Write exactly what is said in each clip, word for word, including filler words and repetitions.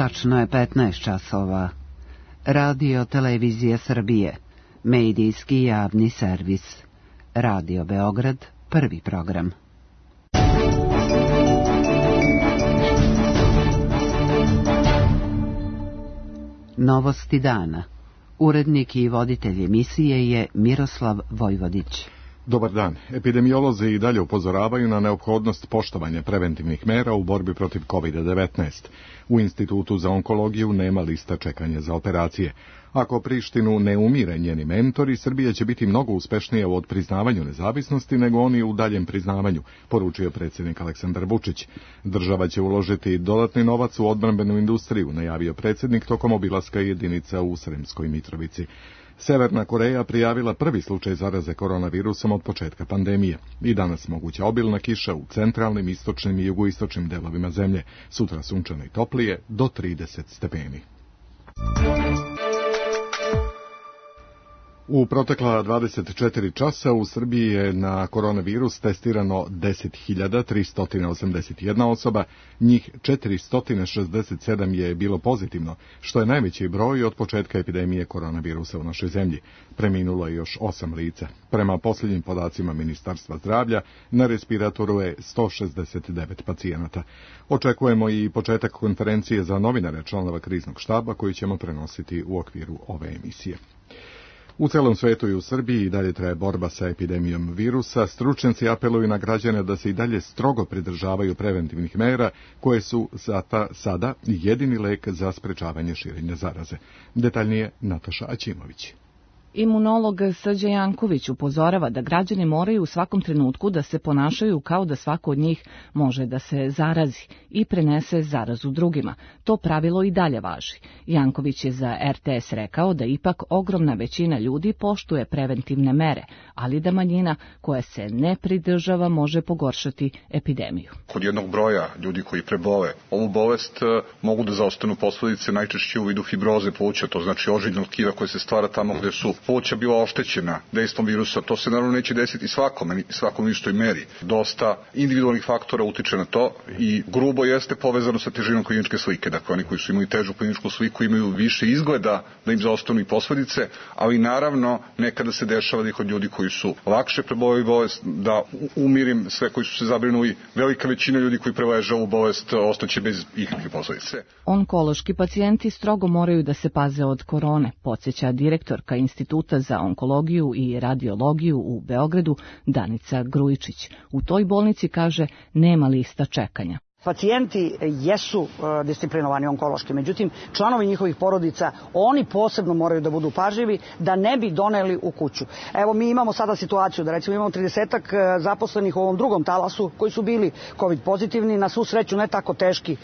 Tačno je petnaest časova. Radio Televizije Srbije, medijski javni servis. Radio Beograd, prvi program. Novosti dana. Urednik i voditelj emisije je Miroslav Vojvodić. Dobar dan. Epidemiolozi i dalje upozoravaju na neophodnost poštovanja preventivnih mera u borbi protiv kovid devetnaest. U Institutu za onkologiju nema lista čekanja za operacije. Ako Prištinu ne umire njeni mentori, Srbija će biti mnogo uspešnija u odpriznavanju nezavisnosti nego oni u daljem priznavanju, poručio predsjednik Aleksandar Vučić. Država će uložiti dodatni novac u odbrambenu industriju, najavio predsjednik tokom obilaska jedinica u Sremskoj Mitrovici. Severna Koreja prijavila prvi slučaj zaraze koronavirusom od početka pandemije. I danas moguća obilna kiša u centralnim, istočnim i jugoistočnim delovima zemlje. Sutra sunčano i toplije do trideset stepeni. U protekla dvadeset četiri časa u Srbiji je na koronavirus testirano deset hiljada tristo osamdeset jedna osoba, njih četiristo šezdeset sedam je bilo pozitivno, što je najveći broj od početka epidemije koronavirusa u našoj zemlji. Preminulo je još osam lica. Prema posljednjim podacima Ministarstva zdravlja, na respiratoru je sto šezdeset devet pacijenata. Očekujemo i početak konferencije za novinare članova kriznog štaba koji ćemo prenositi u okviru ove emisije. U celom svetu i u Srbiji i dalje traje borba sa epidemijom virusa. Stručnjaci apeluju na građane da se i dalje strogo pridržavaju preventivnih mera koje su zata, sada jedini lek za sprečavanje širenja zaraze. Detaljnije Nataša Aćimović. Imunolog Srđan Janković upozorava da građani moraju u svakom trenutku da se ponašaju kao da svako od njih može da se zarazi i prenese zarazu drugima. To pravilo i dalje važi. Janković je za er te es rekao da ipak ogromna većina ljudi poštuje preventivne mere, ali da manjina koja se ne pridržava može pogoršati epidemiju. Kod jednog broja ljudi koji prebole ovu bolest mogu da zaostanu posledice najčešće u vidu fibroze pluća, to znači ožiljnog tkiva koje se stvara tamo gde su pluća bila oštećena dejstvom virusa. To se naravno neće desiti svakome, svakom u istoj meri. Dosta individualnih faktora utiče na to i grubo jeste povezano sa težinom kliničke slike. Dakle, oni koji su imali težu kliničku sliku imaju više izgleda da im zaostanu i posledice, ali naravno nekada se dešava da i kod ljudi koji su lakše preboleli bolest, da umirim sve koji su se zabrinuli, velika većina ljudi koji preleže ovu bolest ostaće bez ikakve posledice. Onkološki pacijenti strogo moraju da se paze od korone, podsjeća direktorka Instituta za onkologiju i radiologiju u Beogradu Danica Grujičić. U toj bolnici, kaže, nema lista čekanja. Pacijenti jesu disciplinovani onkološki, međutim, članovi njihovih porodica, oni posebno moraju da budu pažljivi da ne bi doneli u kuću. Evo, mi imamo sada situaciju da recimo imamo tridesetak zaposlenih u ovom drugom talasu koji su bili covid pozitivni, na svu sreću ne tako teški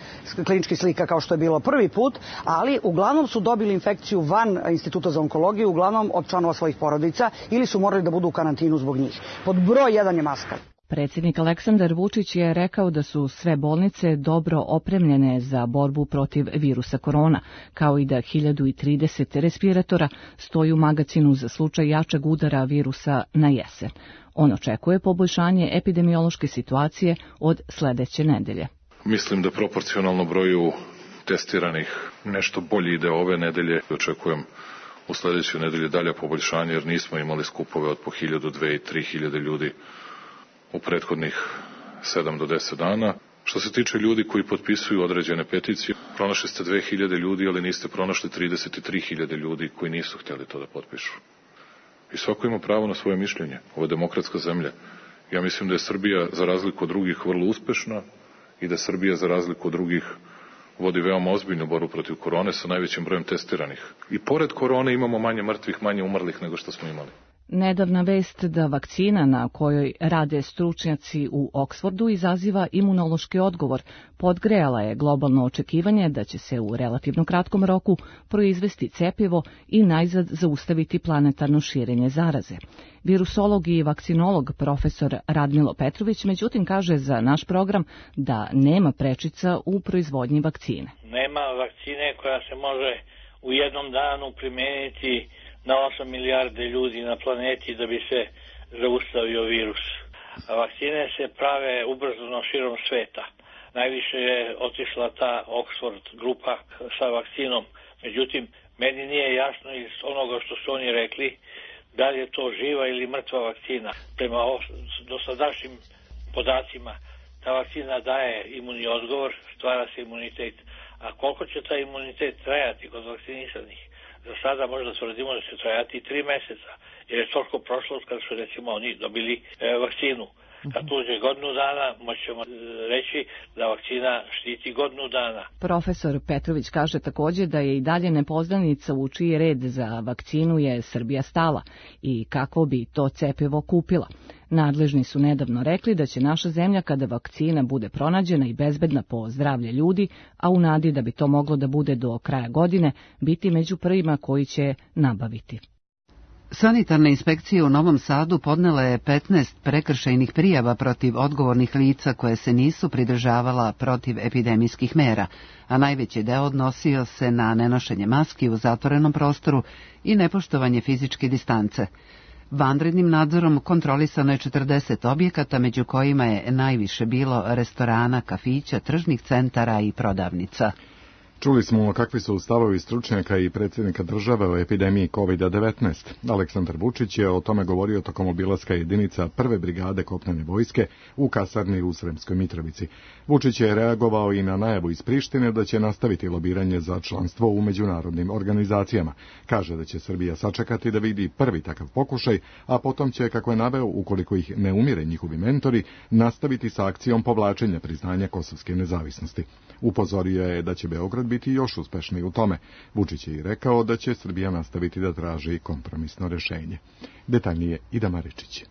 klinički slika kao što je bilo prvi put, ali uglavnom su dobili infekciju van Instituta za onkologiju, uglavnom od članova svojih porodica ili su morali da budu u karantinu zbog njih. Pod broj jedan je maska. Predsjednik Aleksandar Vučić je rekao da su sve bolnice dobro opremljene za borbu protiv virusa korona, kao i da hiljadu trideset respiratora stoji u magacinu za slučaj jačeg udara virusa na jesen. On očekuje poboljšanje epidemiološke situacije od sledeće nedelje. Mislim da proporcionalno broju testiranih nešto bolje ide ove nedelje. Očekujem u sledećoj nedelji dalje poboljšanje jer nismo imali skupove od po hiljadu, dve i tri hiljade ljudi u prethodnih sedam do deset dana. Što se tiče ljudi koji potpisuju određene peticije, pronašli ste dve hiljade ljudi, ali niste pronašli trideset tri hiljade ljudi koji nisu htjeli to da potpišu. I svako ima pravo na svoje mišljenje. Ovo je demokratska zemlja. Ja mislim da je Srbija za razliku od drugih vrlo uspešna i da Srbija za razliku od drugih vodi veoma ozbiljnu borbu protiv korone sa najvećim brojem testiranih. I pored korone imamo manje mrtvih, manje umrlih nego što smo imali. Nedavna vest da vakcina na kojoj rade stručnjaci u Oksfordu izaziva imunološki odgovor podgrejala je globalno očekivanje da će se u relativno kratkom roku proizvesti cepivo i najzad zaustaviti planetarno širenje zaraze. Virusolog i vakcinolog profesor Radmilo Petrović međutim kaže za naš program da nema prečica u proizvodnji vakcine. Nema vakcine koja se može u jednom danu primijeniti na osam milijarde ljudi na planeti da bi se zaustavio virus. A vakcine se prave ubrzano širom sveta. najviše je otišla ta Oxford grupa sa vakcinom. Međutim, meni nije jasno iz onoga što su oni rekli da li je to živa ili mrtva vakcina. Prema dosadašnjim podacima, ta vakcina daje imunni odgovor, stvara se imunitet. A koliko će taj imunitet trajati kod vakcinisanih? Za sada možda tvrdimo da će trajati i tri meseca, jer je toliko prošlo kad su recimo oni dobili e, vakcinu. Kad uđe godinu dana, moćemo reći da vakcina štiti godinu dana. Profesor Petrović kaže također da je i dalje nepoznanica u čiji red za vakcinu je Srbija stala i kako bi to cepivo kupila. Nadležni su nedavno rekli da će naša zemlja, kada vakcina bude pronađena i bezbedna po zdravlje ljudi, a u nadi da bi to moglo da bude do kraja godine, biti među prvima koji će nabaviti. Sanitarne inspekcije u Novom Sadu podnele je petnaest prekršajnih prijava protiv odgovornih lica koje se nisu pridržavala protiv epidemijskih mera, a najveći deo odnosio se na nenošenje maski u zatvorenom prostoru i nepoštovanje fizičke distance. Vanrednim nadzorom kontrolisano je četrdeset objekata, među kojima je najviše bilo restorana, kafića, tržnih centara i prodavnica. Čuli smo kakvi su stavovi stručnjaka i predsjednika države o epidemiji kovid devetnaest. Aleksandar Vučić je o tome govorio tokom obilaska jedinica prve brigade kopnene vojske u kasarni u Sremskoj Mitrovici. Vučić je reagovao i na najavu iz Prištine da će nastaviti lobiranje za članstvo u međunarodnim organizacijama. Kaže da će Srbija sačekati da vidi prvi takav pokušaj, a potom će, kako je naveo, ukoliko ih ne umire njihovi mentori, nastaviti sa akcijom povlačenja priznanja kosovske nezavisnosti. Upozorio je da će Beograd biti još uspešniji u tome. Vučić je i rekao da će Srbija nastaviti da traži kompromisno rješenje. Detaljnije Ida Maričić.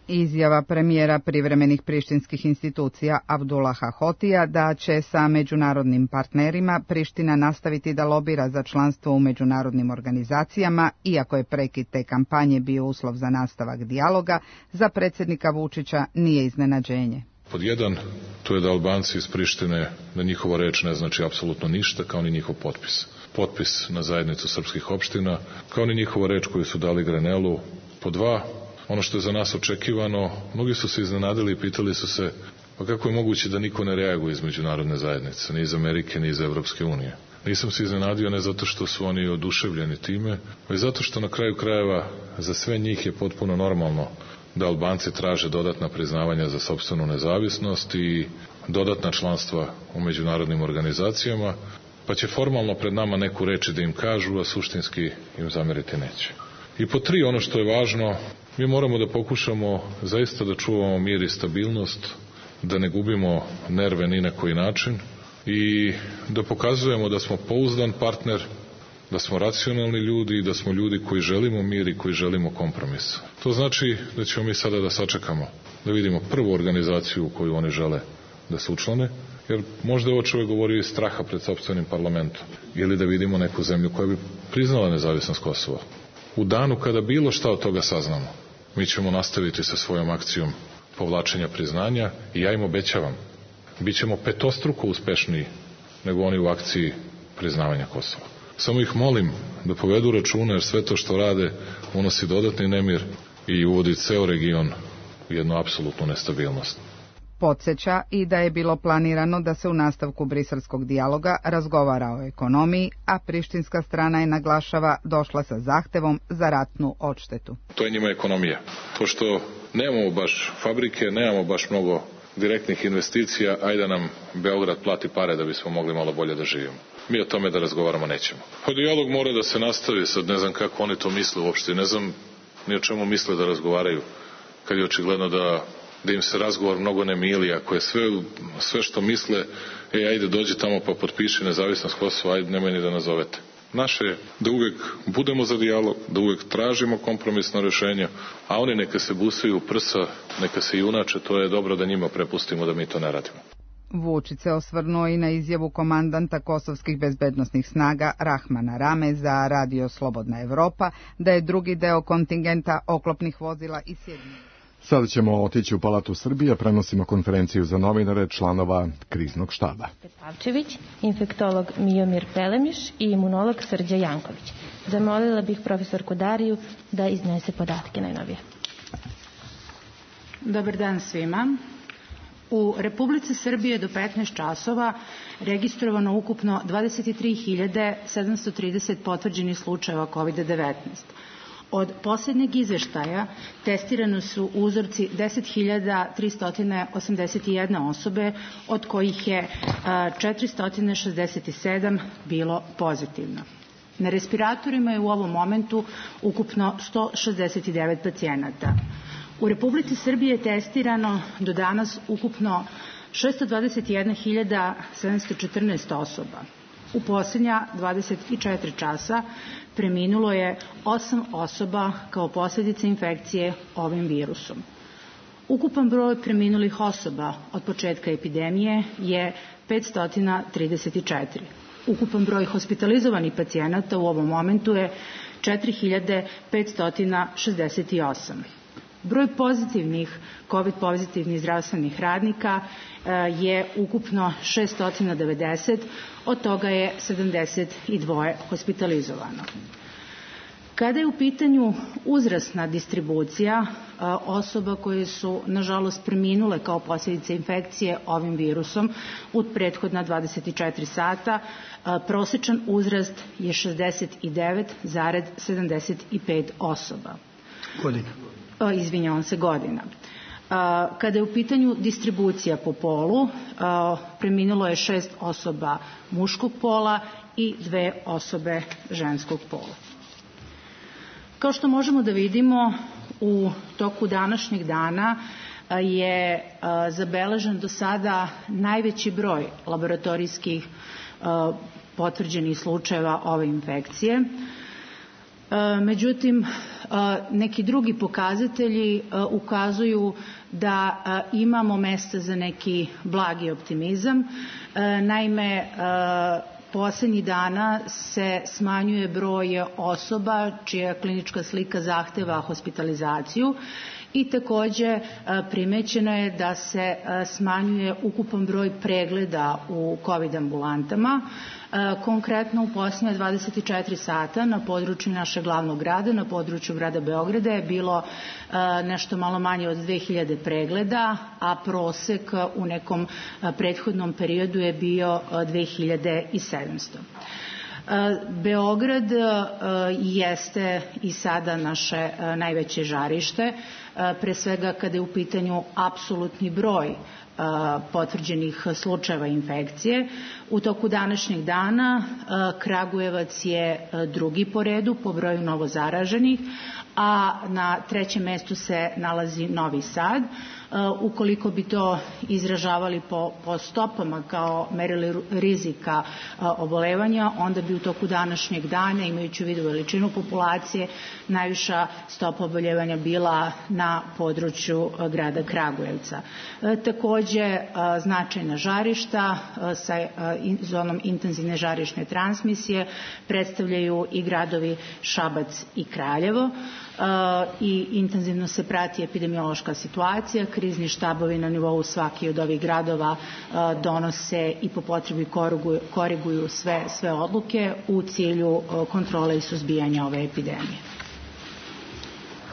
Izjava premijera privremenih prištinskih institucija Abdullaha Hotija da će sa međunarodnim partnerima Priština nastaviti da lobira za članstvo u međunarodnim organizacijama, iako je prekid te kampanje bio uslov za nastavak dijaloga, za predsjednika Vučića nije iznenađenje. Pod jedan, to je da Albanci iz Prištine, da njihova reč ne znači apsolutno ništa, kao ni njihov potpis. Potpis na zajednicu srpskih opština, kao ni njihova reč koju su dali Grenelu. Pod dva, ono što je za nas očekivano, mnogi su se iznenadili i pitali su se, pa kako je moguće da niko ne reaguje iz međunarodne zajednice, ni iz Amerike, ni iz Evropske unije. Nisam se iznenadio ne zato što su oni oduševljeni time, već zato što na kraju krajeva za sve njih je potpuno normalno da Albanci traže dodatna priznavanja za sopstvenu nezavisnost i dodatna članstva u međunarodnim organizacijama, pa će formalno pred nama neku reći da im kažu, a suštinski im zameriti neće. I po tri, ono što je važno, mi moramo da pokušamo zaista da čuvamo mir i stabilnost, da ne gubimo nerve ni na koji način i da pokazujemo da smo pouzdan partner, da smo racionalni ljudi i da smo ljudi koji želimo mir i koji želimo kompromis. To znači da ćemo mi sada da sačekamo, da vidimo prvu organizaciju u koju oni žele da se učlane, jer možda ovo čovjek govori iz straha pred sopstvenim parlamentom, ili da vidimo neku zemlju koja bi priznala nezavisnost Kosova. U danu kada bilo šta od toga saznamo, mi ćemo nastaviti sa svojom akcijom povlačenja priznanja i ja im obećavam, bit ćemo petostruko uspešniji nego oni u akciji priznavanja Kosova. Samo ih molim da povedu računa, jer sve to što rade unosi dodatni nemir i uvodi ceo region u jednu apsolutnu nestabilnost. Podsjeća i da je bilo planirano da se u nastavku briselskog dijaloga razgovara o ekonomiji, a prištinska strana je, naglašava, došla sa zahtevom za ratnu odštetu. To je njima ekonomija. Pošto nemamo baš fabrike, nemamo baš mnogo direktnih investicija, ajde nam Beograd plati pare da bismo mogli malo bolje da živimo. Mi o tome da razgovaramo nećemo. Pa dijalog mora da se nastavi, sad ne znam kako oni to misle uopšte, ne znam ni o čemu misle da razgovaraju, kad je očigledno da, da im se razgovor mnogo ne mili, ako je sve, sve što misle, e, ajde dođi tamo pa potpiši nezavisnost Kosova, ajde nemoj ni da nazovete. Naše je da uvijek budemo za dijalog, da uvijek tražimo kompromisno rješenje, a oni neka se busaju u prsa, neka se junače, to je dobro da njima prepustimo da mi to ne radimo. Vučić se osvrnuo i na izjavu komandanta kosovskih bezbednosnih snaga Rahmana Rame za radio Slobodna Evropa da je drugi deo kontingenta oklopnih vozila iz Sjedinjenih. Sada ćemo otići u Palatu Srbije, prenosimo konferenciju za novinare članova kriznog štaba. Pavčević, infektolog Mijomir Pelemiš i imunolog Srđa Janković. Zamolila bih profesorku Dariju da iznese podatke najnovije. Dobar dan svima. U Republici Srbije do petnaest časova registrovano ukupno dvadeset tri hiljade sedamsto trideset potvrđenih slučajeva kovid devetnaest. Od posljednjeg izveštaja testirano su uzorci deset hiljada tristo osamdeset jedna osobe, od kojih je četiristo šezdeset sedam bilo pozitivno. Na respiratorima je u ovom momentu ukupno sto šezdeset devet pacijenata. U Republici Srbije je testirano do danas ukupno šesto dvadeset jedna hiljada sedamsto četrnaest osoba. U posljednja dvadeset četiri časa preminulo je osam osoba kao posljedica infekcije ovim virusom. Ukupan broj preminulih osoba od početka epidemije je petsto trideset četiri. Ukupan broj hospitalizovanih pacijenata u ovom momentu je četiri hiljade petsto šezdeset osam. Broj pozitivnih, COVID pozitivnih zdravstvenih radnika je ukupno šesto devedeset, od toga je sedamdeset dva hospitalizovano. Kada je u pitanju uzrasna distribucija osoba koje su, nažalost, preminule kao posljedice infekcije ovim virusom u prethodna dvadeset četiri sata, prosječan uzrast je šezdeset devet zarez sedamdeset pet osoba. Godina. Izvinjavam se, godina. Kada je u pitanju distribucija po polu, preminulo je šest osoba muškog pola i dve osobe ženskog pola. Kao što možemo da vidimo, u toku današnjeg dana je zabeležen do sada najveći broj laboratorijskih potvrđenih slučajeva ove infekcije. Međutim, neki drugi pokazatelji ukazuju da imamo mesta za neki blagi optimizam. Naime, poslednjih dana se smanjuje broj osoba čija klinička slika zahteva hospitalizaciju i takođe primećeno je da se smanjuje ukupan broj pregleda u COVID ambulantama. Konkretno u posljednje dvadeset četiri sata na području našeg glavnog grada, na području grada Beograda je bilo nešto malo manje od dve hiljade pregleda, a prosek u nekom prethodnom periodu je bio dve hiljade sedamsto. Beograd jeste i sada naše najveće žarište, pre svega kada je u pitanju apsolutni broj potvrđenih slučajeva infekcije. U toku današnjeg dana Kragujevac je drugi po redu po broju novozaraženih, a na trećem mestu se nalazi Novi Sad. Ukoliko bi to izražavali po, po stopama kao merili rizika obolevanja, onda bi u toku današnjeg dana, imajući u vidu veličinu populacije, najviša stopa oboljevanja bila na području grada Kragujevca. Takođe, značajna žarišta sa zonom intenzivne žarišne transmisije predstavljaju i gradovi Šabac i Kraljevo. I intenzivno se prati epidemiološka situacija. Krizni štabovi na nivou svaki od ovih gradova donose i po potrebi koriguju, koriguju sve, sve odluke u cilju kontrole i suzbijanja ove epidemije.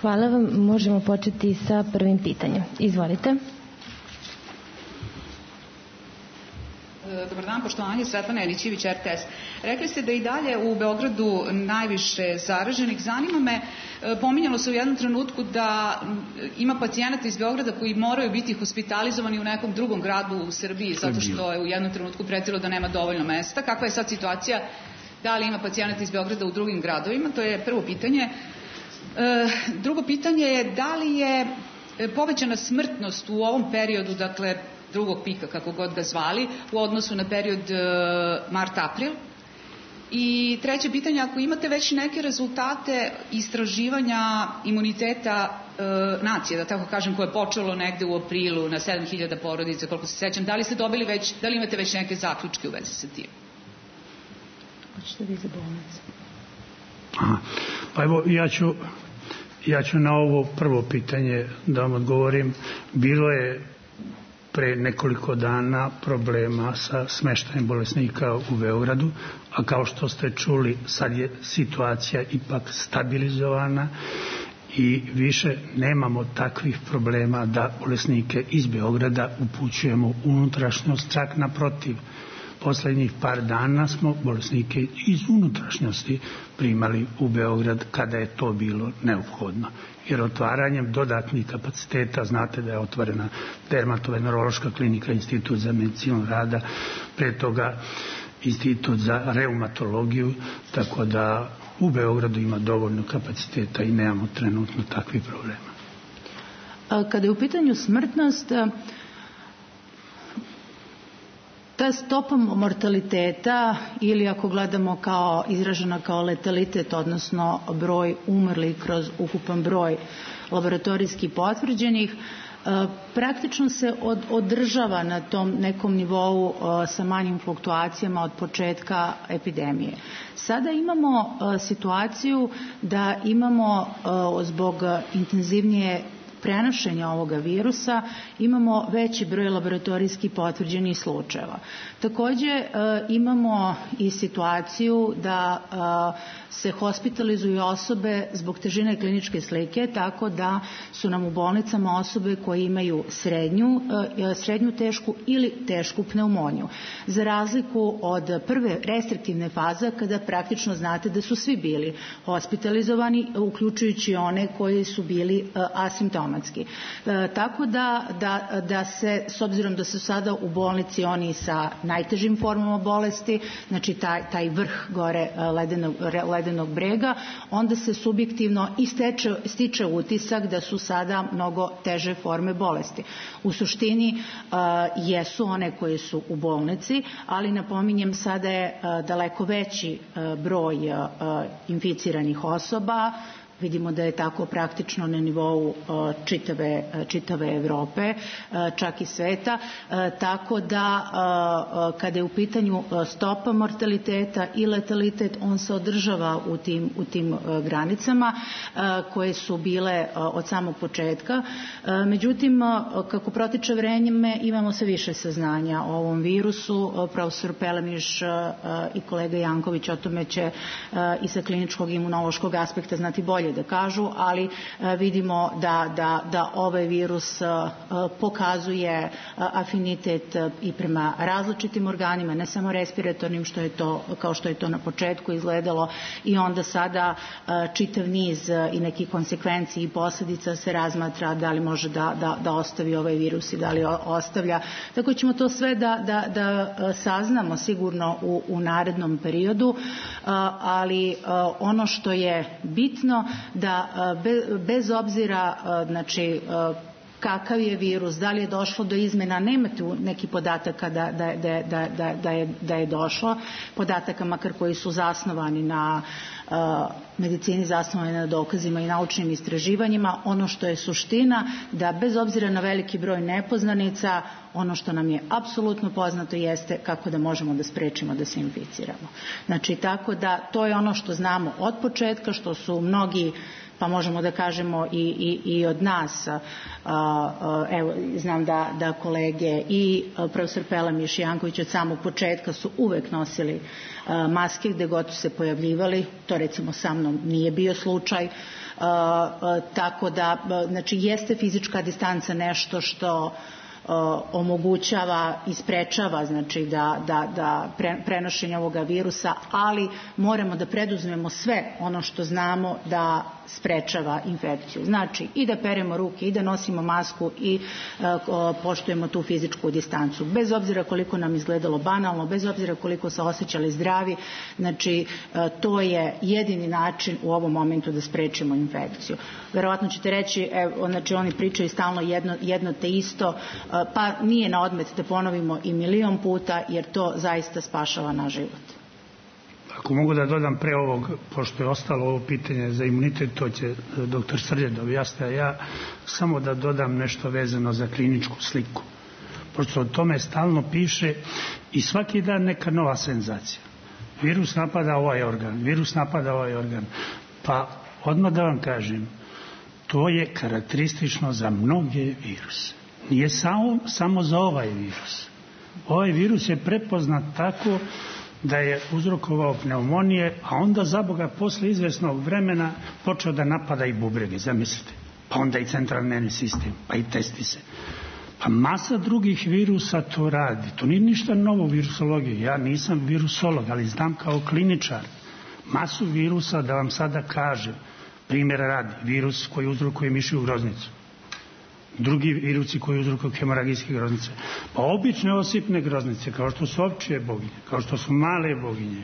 Hvala vam. Možemo početi sa prvim pitanjem. Izvolite. Dobar dan, poštovanje, Svetlana Jelićević, R T S. Rekli ste da i dalje u Beogradu najviše zaraženih. Zanima me, pominjalo se u jednom trenutku da ima pacijenata iz Beograda koji moraju biti hospitalizovani u nekom drugom gradu u Srbiji zato što je u jednom trenutku pretilo da nema dovoljno mesta. Kakva je sad situacija? Da li ima pacijenata iz Beograda u drugim gradovima? To je prvo pitanje. Drugo pitanje je da li je povećana smrtnost u ovom periodu, dakle drugog pika, kako god ga zvali, u odnosu na period mart-april. I treće pitanje, ako imate već neke rezultate istraživanja imuniteta e, nacije, da tako kažem, koje je počelo negde u aprilu na sedam hiljada porodica, koliko se sećam, da li ste dobili već, da li imate već neke zaključke u vezi sa tim? Hoćete vi za bolnicu? Pa evo, ja ću, ja ću na ovo prvo pitanje da vam odgovorim. Bilo je pre nekoliko dana problema sa smeštajem bolesnika u Beogradu, a kao što ste čuli, sad je situacija ipak stabilizovana i više nemamo takvih problema da bolesnike iz Beograda upućujemo u unutrašnjost, čak naprotiv. Poslednjih par dana smo bolesnike iz unutrašnjosti primali u Beograd kada je to bilo neophodno. Jer otvaranjem dodatnih kapaciteta, znate da je otvorena dermatovenerološka klinika, institut za medicinu rada, pre toga institut za reumatologiju, tako da u Beogradu ima dovoljno kapaciteta i nemamo trenutno takvih problema. Kada je u pitanju smrtnost, ta stopa mortaliteta, ili ako gledamo kao izražena kao letalitet, odnosno broj umrlih kroz ukupan broj laboratorijski potvrđenih, praktično se od, održava na tom nekom nivou sa manjim fluktuacijama od početka epidemije. Sada imamo situaciju da imamo zbog intenzivnije prenošenja ovoga virusa imamo veći broj laboratorijski potvrđenih slučajeva. Takođe imamo i situaciju da se hospitalizuju osobe zbog težine kliničke slike, tako da su nam u bolnicama osobe koje imaju srednju, srednju tešku ili tešku pneumoniju. Za razliku od prve restriktivne faze, kada praktično znate da su svi bili hospitalizovani, uključujući one koji su bili asimptomatski. Tako da, da, da se, s obzirom da su sada u bolnici oni sa najtežim formama bolesti, znači taj, taj vrh gore ledenog, ledenog brega, onda se subjektivno i steče, stiče utisak da su sada mnogo teže forme bolesti. U suštini uh, jesu one koje su u bolnici, ali napominjem sada je uh, daleko veći uh, broj uh, inficiranih osoba. Vidimo da je tako praktično na nivou čitave, čitave Evrope, čak i sveta, tako da kada je u pitanju stopa mortaliteta i letalitet, on se održava u tim, u tim granicama koje su bile od samog početka. Međutim, kako protiče vreme, imamo sve više saznanja o ovom virusu. Profesor Pelemiš i kolega Janković o tome će i sa kliničkog imunološkog aspekta znati bolje da kažu, ali vidimo da, da, da ovaj virus pokazuje afinitet i prema različitim organima, ne samo respiratornim, što je to, kao što je to na početku izgledalo, i onda sada čitav niz i nekih konsekvenci i posljedica se razmatra da li može da, da, da ostavi ovaj virus i da li ostavlja. Tako ćemo to sve da, da, da saznamo sigurno u, u narednom periodu, ali ono što je bitno da bez obzira, znači, kakav je virus, da li je došlo do izmena, nema tu neki podataka da, da, da, da, da, da, je, da je došlo, podataka makar koji su zasnovani na uh, medicini, zasnovani na dokazima i naučnim istraživanjima. Ono što je suština, da bez obzira na veliki broj nepoznanica, ono što nam je apsolutno poznato jeste kako da možemo da sprečimo da se inficiramo. Znači, tako da to je ono što znamo od početka, što su mnogi, pa možemo da kažemo i, i, i od nas, evo, znam da, da kolege i profesor Pelemiš i Janković od samog početka su uvek nosili maske gde god su se pojavljivali, to recimo sa mnom nije bio slučaj, tako da, znači, jeste fizička distanca nešto što omogućava i sprečava, znači, da, da, da pre, prenošenje ovoga virusa, ali moramo da preduzmemo sve ono što znamo da sprečava infekciju. Znači, i da peremo ruke, i da nosimo masku, i uh, poštujemo tu fizičku distancu. Bez obzira koliko nam izgledalo banalno, bez obzira koliko se osjećali zdravi, znači, uh, to je jedini način u ovom momentu da sprečimo infekciju. Verovatno ćete reći, evo, znači, oni pričaju stalno jedno, jedno te isto, uh, pa nije na odmet da ponovimo i milion puta, jer to zaista spašava naš život. Ako mogu da dodam pre ovog, pošto je ostalo ovo pitanje za imunitet, to će doktor Srđan da objasni, a ja samo da dodam nešto vezano za kliničku sliku. Pošto o tome stalno piše i svaki dan neka nova senzacija. Virus napada ovaj organ, virus napada ovaj organ. Pa odmah da vam kažem, to je karakteristično za mnoge viruse. Nije samo, samo za ovaj virus. Ovaj virus je prepoznat tako da je uzrokovao pneumonije, a onda za Boga posle izvesnog vremena počeo da napada i bubrege, zamislite. Pa onda i centralni nervni sistem, pa i testi se. Pa masa drugih virusa to radi. To nije ništa novo u virusologiji. Ja nisam virusolog, ali znam kao kliničar masu virusa, da vam sada kažem. Primjera radi, virus koji uzrokuje mišju groznicu. Drugi virusi koji uzrokuju hemoragijske groznice. Pa obične osipne groznice, kao što su ovčije boginje, kao što su male boginje.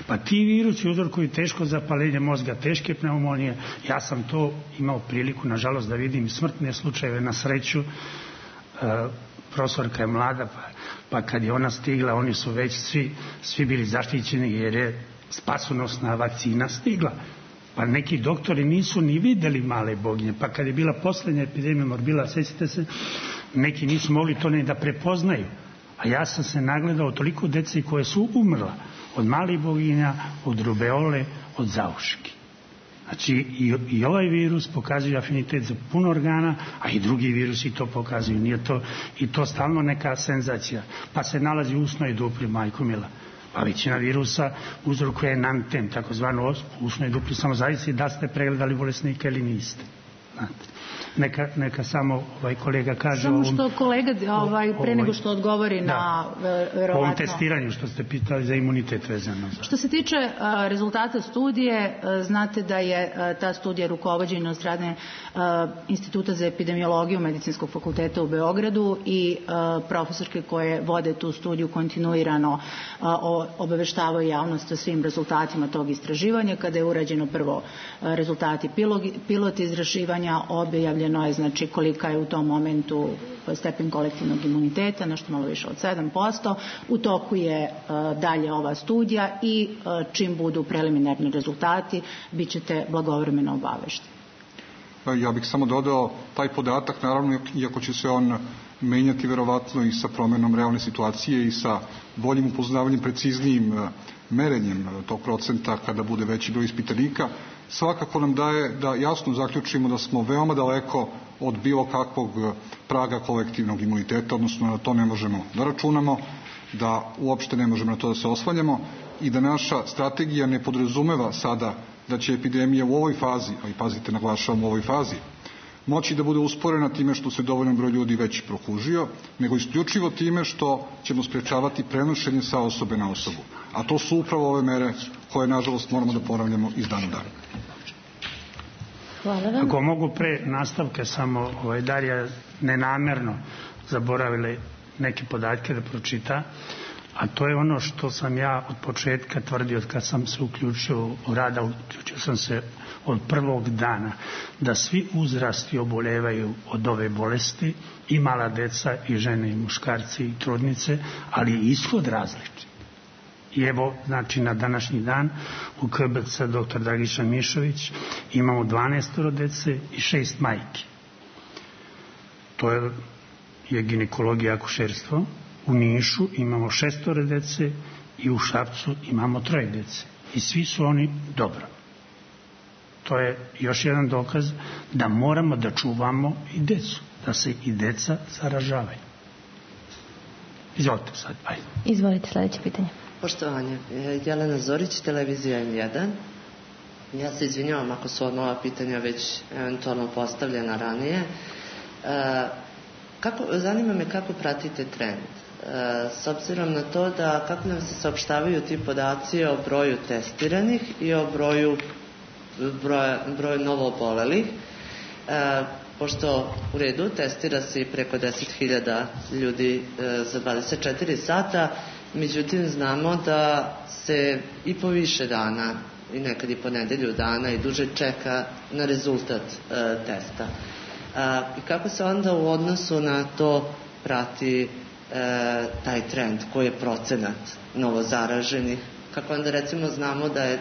Pa ti virusi uzrokuju teško zapaljenje mozga, teške pneumonije. Ja sam to imao priliku, nažalost, da vidim smrtne slučajeve. Na sreću, Uh, profesorka je mlada, pa, pa kad je ona stigla, oni su već svi, svi bili zaštićeni jer je spasonosna vakcina stigla. Pa neki doktori nisu ni videli male boginje, pa kad je bila poslednja epidemija morbila, sjećate se, neki nisu mogli to ne da prepoznaju. A ja sam se nagledao toliko dece koje su umrla od malih boginja, od rubeole, od zauški. Znači i, i ovaj virus pokazuje afinitet za puno organa, a i drugi virusi to pokazuju. Nije to, i to stalno neka senzacija. Pa se nalazi u usnoj dupli, majko mila. Pa većina virusa uzrokuje enanten, takozvanu usnoj dupli, samo zavisi da ste pregledali bolesnika ili niste. Znate. Neka, neka samo ovaj kolega kaže samo ovom, što kolega ovaj, pre nego što odgovori da, na verovatno ovom testiranju što ste pitali za imunitet vezano za. Što se tiče a, rezultata studije, a, znate da je a, ta studija rukovođena od strane a, Instituta za epidemiologiju Medicinskog fakulteta u Beogradu i a, profesorke koje vode tu studiju kontinuirano a, o, obaveštavaju javnost o svim rezultatima tog istraživanja. Kada je urađeno prvo a, rezultati pilot, pilot istraživanja, objavljeno je znači kolika je u tom momentu stepen kolektivnog imuniteta, nešto malo više od sedam posto. U toku je uh, dalje ova studija i uh, čim budu preliminarni rezultati, bit ćete blagovremeno obavešteni. Ja bih samo dodao taj podatak, naravno, iako će se on menjati verovatno i sa promenom realne situacije i sa boljim upoznavanjem, preciznijim uh, merenjem uh, tog procenta kada bude veći broj ispitanika, svakako nam daje da jasno zaključimo da smo veoma daleko od bilo kakvog praga kolektivnog imuniteta, odnosno na to ne možemo da računamo, da uopšte ne možemo na to da se oslanjamo i da naša strategija ne podrazumeva sada da će epidemija u ovoj fazi, a i pazite, naglašavam u ovoj fazi, moći da bude usporena time što se dovoljan broj ljudi već prokužio, nego isključivo time što ćemo sprečavati prenošenje sa osobe na osobu. A to su upravo ove mere koje, nažalost, moramo da ponavljamo iz dana u dan. Hvala vam. Ako mogu pre nastavke samo, ovaj, Darija nenamerno zaboravila neke podatke da pročita, a to je ono što sam ja od početka tvrdio kad sam se uključio u rada, uključio sam se od prvog dana, da svi uzrasti obolevaju od ove bolesti, i mala deca, i žene, i muškarci, i trudnice, ali je ishod različit. I evo, znači, na današnji dan u K B C doktor Dragiša Mišović imamo dvanaest dece i šest majki. To je, je ginekologija i akušerstvo. U Nišu imamo šestoro dece i u Šapcu imamo troje dece. I svi su oni dobro. To je još jedan dokaz da moramo da čuvamo i decu, da se i deca zaražavaju. Izvolite sad, ajde. Izvolite, sledeće pitanje. Poštovanje, Jelena Zorić, televizija M jedan. Ja se izvinjavam ako su ova pitanja već eventualno postavljena ranije. E, kako, zanima me kako pratite trend. E, s obzirom na to da kako nam se saopštavaju ti podaci o broju testiranih i o broju, broju, broju novoobolelih. E, pošto u redu testira se i preko deset hiljada ljudi e, za dvadeset četiri sata, međutim znamo da se i po više dana i nekad i po nedelju dana i duže čeka na rezultat e, testa. E, I kako se onda u odnosu na to prati e, taj trend, koji je procenat novozaraženih, kako onda recimo znamo da je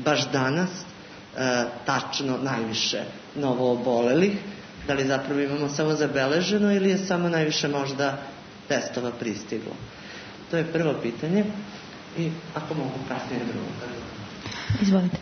baš danas e, tačno najviše novoobolelih, da li zapravo imamo samo zabeleženo ili je samo najviše možda testova pristiglo. To je prvo pitanje i ako mogu kasnije drugo. Izvolite.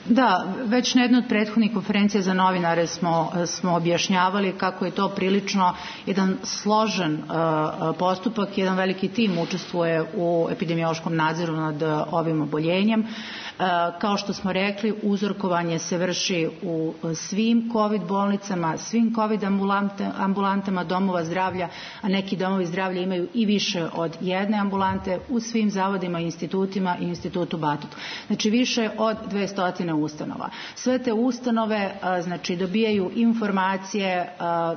Da, već na jednoj od prethodnih konferencija za novinare smo, smo objašnjavali kako je to prilično jedan složen uh, postupak, jedan veliki tim učestvuje u epidemiološkom nadzoru nad ovim oboljenjem. Uh, kao što smo rekli, uzorkovanje se vrši u svim COVID bolnicama, svim COVID ambulante, ambulantama domova zdravlja, a neki domovi zdravlja imaju i više od jedne ambulante u svim zavodima, institutima i institutu Batut. Znači više od dvesta ustanova. Sve te ustanove a, znači dobijaju informacije a,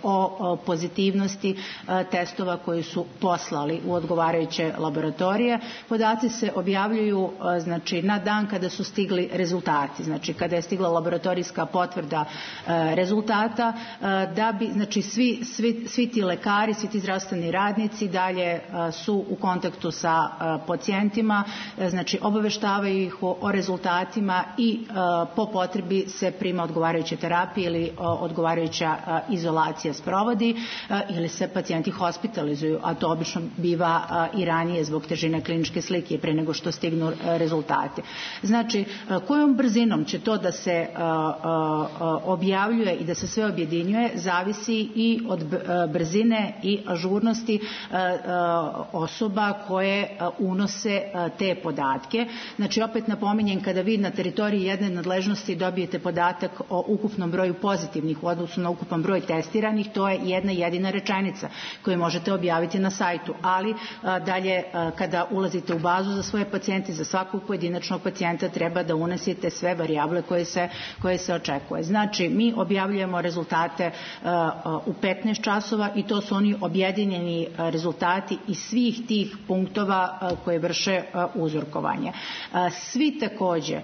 o, o pozitivnosti a, testova koji su poslali u odgovarajuće laboratorije. Podaci se objavljuju a, znači na dan kada su stigli rezultati, znači kada je stigla laboratorijska potvrda a, rezultata, a, da bi znači svi, svi, svi ti lekari, svi ti zdravstveni radnici dalje a, su u kontaktu sa a, pacijentima, a, znači obaveštavaju ih o, o rezultatima i uh, po potrebi se prima odgovarajuća terapija ili uh, odgovarajuća uh, izolacija sprovodi uh, ili se pacijenti hospitalizuju, a to obično biva uh, i ranije zbog težine kliničke slike pre nego što stignu uh, rezultati. Znači, uh, kojom brzinom će to da se uh, uh, objavljuje i da se sve objedinjuje zavisi i od uh, brzine i ažurnosti uh, uh, osoba koje uh, unose uh, te podatke. Znači, opet napominjem, kada vi na teritoriji jedne nadležnosti dobijete podatak o ukupnom broju pozitivnih u odnosu na ukupan broj testiranih, to je jedna jedina rečenica koju možete objaviti na sajtu, ali a, dalje a, kada ulazite u bazu za svoje pacijente, za svakog pojedinačnog pacijenta treba da unesete sve varijable koje se, koje se očekuje. Znači, mi objavljujemo rezultate a, a, u petnaest časova i to su oni objedinjeni a, rezultati iz svih tih punktova a, koje vrše a, uzorkovanje. A, svi takođe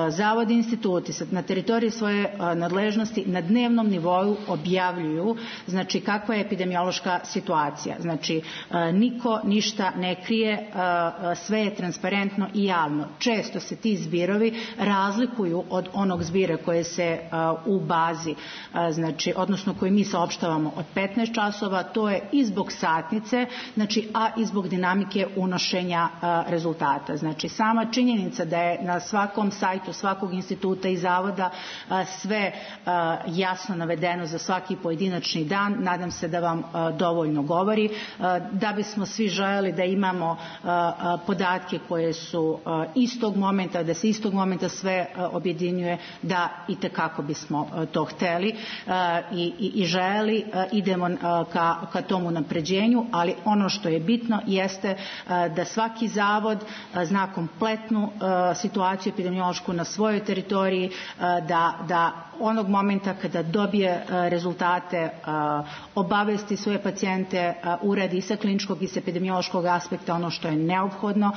zavodi, instituti na teritoriji svoje nadležnosti na dnevnom nivou objavljuju znači kakva je epidemiološka situacija. Znači niko ništa ne krije, sve je transparentno i javno. Često se ti zbirovi razlikuju od onog zbira koje se u bazi, znači odnosno koji mi saopštavamo od petnaest časova, to je i zbog satnice, znači a i zbog dinamike unošenja rezultata. Znači sama činjenica da je na svakom sajtu svakog instituta i zavoda sve jasno navedeno za svaki pojedinačni dan, nadam se da vam dovoljno govori. Da bismo svi želeli da imamo podatke koje su istog momenta, da se istog momenta sve objedinjuje, da i tekako bismo to hteli i, i, i želeli, idemo ka, ka tomu napređenju, ali ono što je bitno jeste da svaki zavod zna kompletnu situaciju epidemiološku na svojoj teritoriji, da, da onog momenta kada dobije rezultate obavesti svoje pacijente, uradi i sa kliničkog i sa epidemiološkog aspekta ono što je neophodno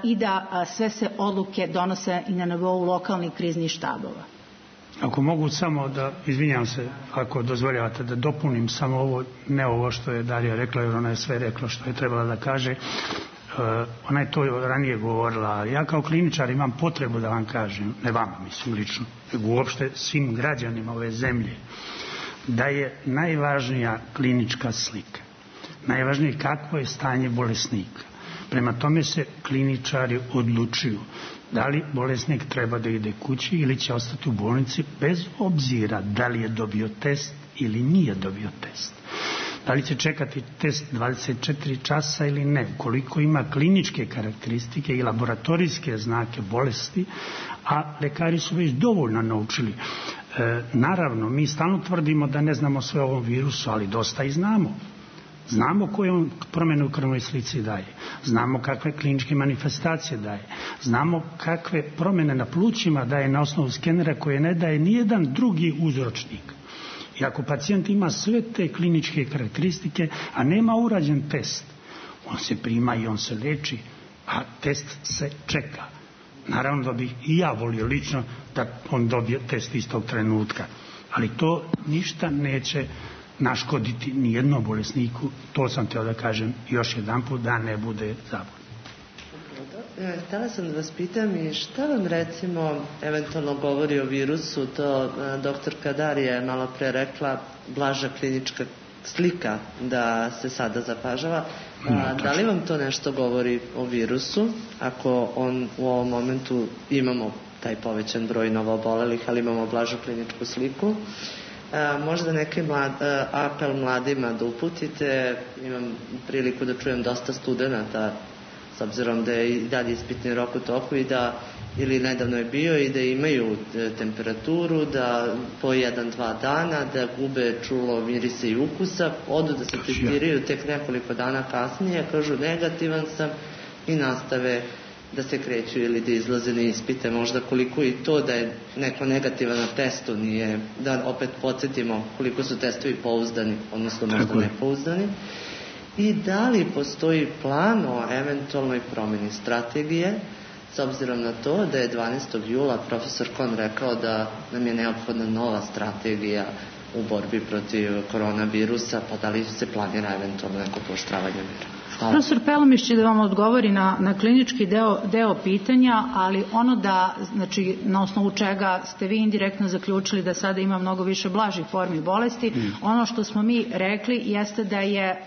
i da sve se odluke donose i na nivou lokalnih kriznih štabova. Ako mogu samo da, izvinjam se, ako dozvoljavate da dopunim samo ovo, ne ovo što je Darija rekla, jer ona je sve rekla što je trebala da kaže. Uh, ona je to ranije govorila. Ja kao kliničar imam potrebu da vam kažem, ne vama mislim lično, nego uopšte svim građanima ove zemlje, da je najvažnija klinička slika. Najvažnije kakvo je stanje bolesnika. Prema tome se kliničari odlučuju da li bolesnik treba da ide kući ili će ostati u bolnici bez obzira da li je dobio test ili nije dobio test. Da li će čekati test dvadeset četiri časa ili ne, koliko ima kliničke karakteristike i laboratorijske znake bolesti, a lekari su već dovoljno naučili. E, naravno, mi stalno tvrdimo da ne znamo sve o ovom virusu, ali dosta i znamo. Znamo koje on promjene u krvnoj slici daje, znamo kakve kliničke manifestacije daje, znamo kakve promjene na plućima daje na osnovu skenera koje ne daje nijedan drugi uzročnik. I ako pacijent ima sve te kliničke karakteristike, a nema urađen test, on se prima i on se leči, a test se čeka. Naravno da bih i ja volio lično da on dobije test istog trenutka, ali to ništa neće naškoditi nijednom bolesniku, to sam teo da kažem još jedan put, da ne bude zabun. Htela sam da vas pitam i šta vam recimo eventualno govori o virusu, to doktorka Darija je malo pre rekla, blaža klinička slika da se sada zapažava. A, da li vam to nešto govori o virusu, ako on u ovom momentu imamo taj povećan broj novoobolelih, ali imamo blažu kliničku sliku. Možda neki mlad, apel mladima da uputite, imam priliku da čujem dosta studenta, s obzirom da je i dalje ispitni rok u toku i da, ili nedavno je bio, i da imaju temperaturu, da po jedan, dva dana, da gube čulo, mirisa i ukusa, odu da se testiraju tek nekoliko dana kasnije, kažu negativan sam i nastave da se kreću ili da izlaze na ispite. Možda koliko i to da je neko negativan na testu nije, da opet podsjetimo koliko su testovi pouzdani, odnosno možda nepouzdani. I da li postoji plan o eventualnoj promjeni strategije, s obzirom na to da je dvanaestog jula profesor Kon rekao da nam je neophodna nova strategija u borbi protiv koronavirusa, pa da li se planira eventualno neko pooštravanje mjera? Profesor Pelemiš će da vam odgovori na, na klinički deo, deo pitanja, ali ono da, znači, na osnovu čega ste vi indirektno zaključili da sada ima mnogo više blažih formi bolesti, mm. ono što smo mi rekli jeste da je,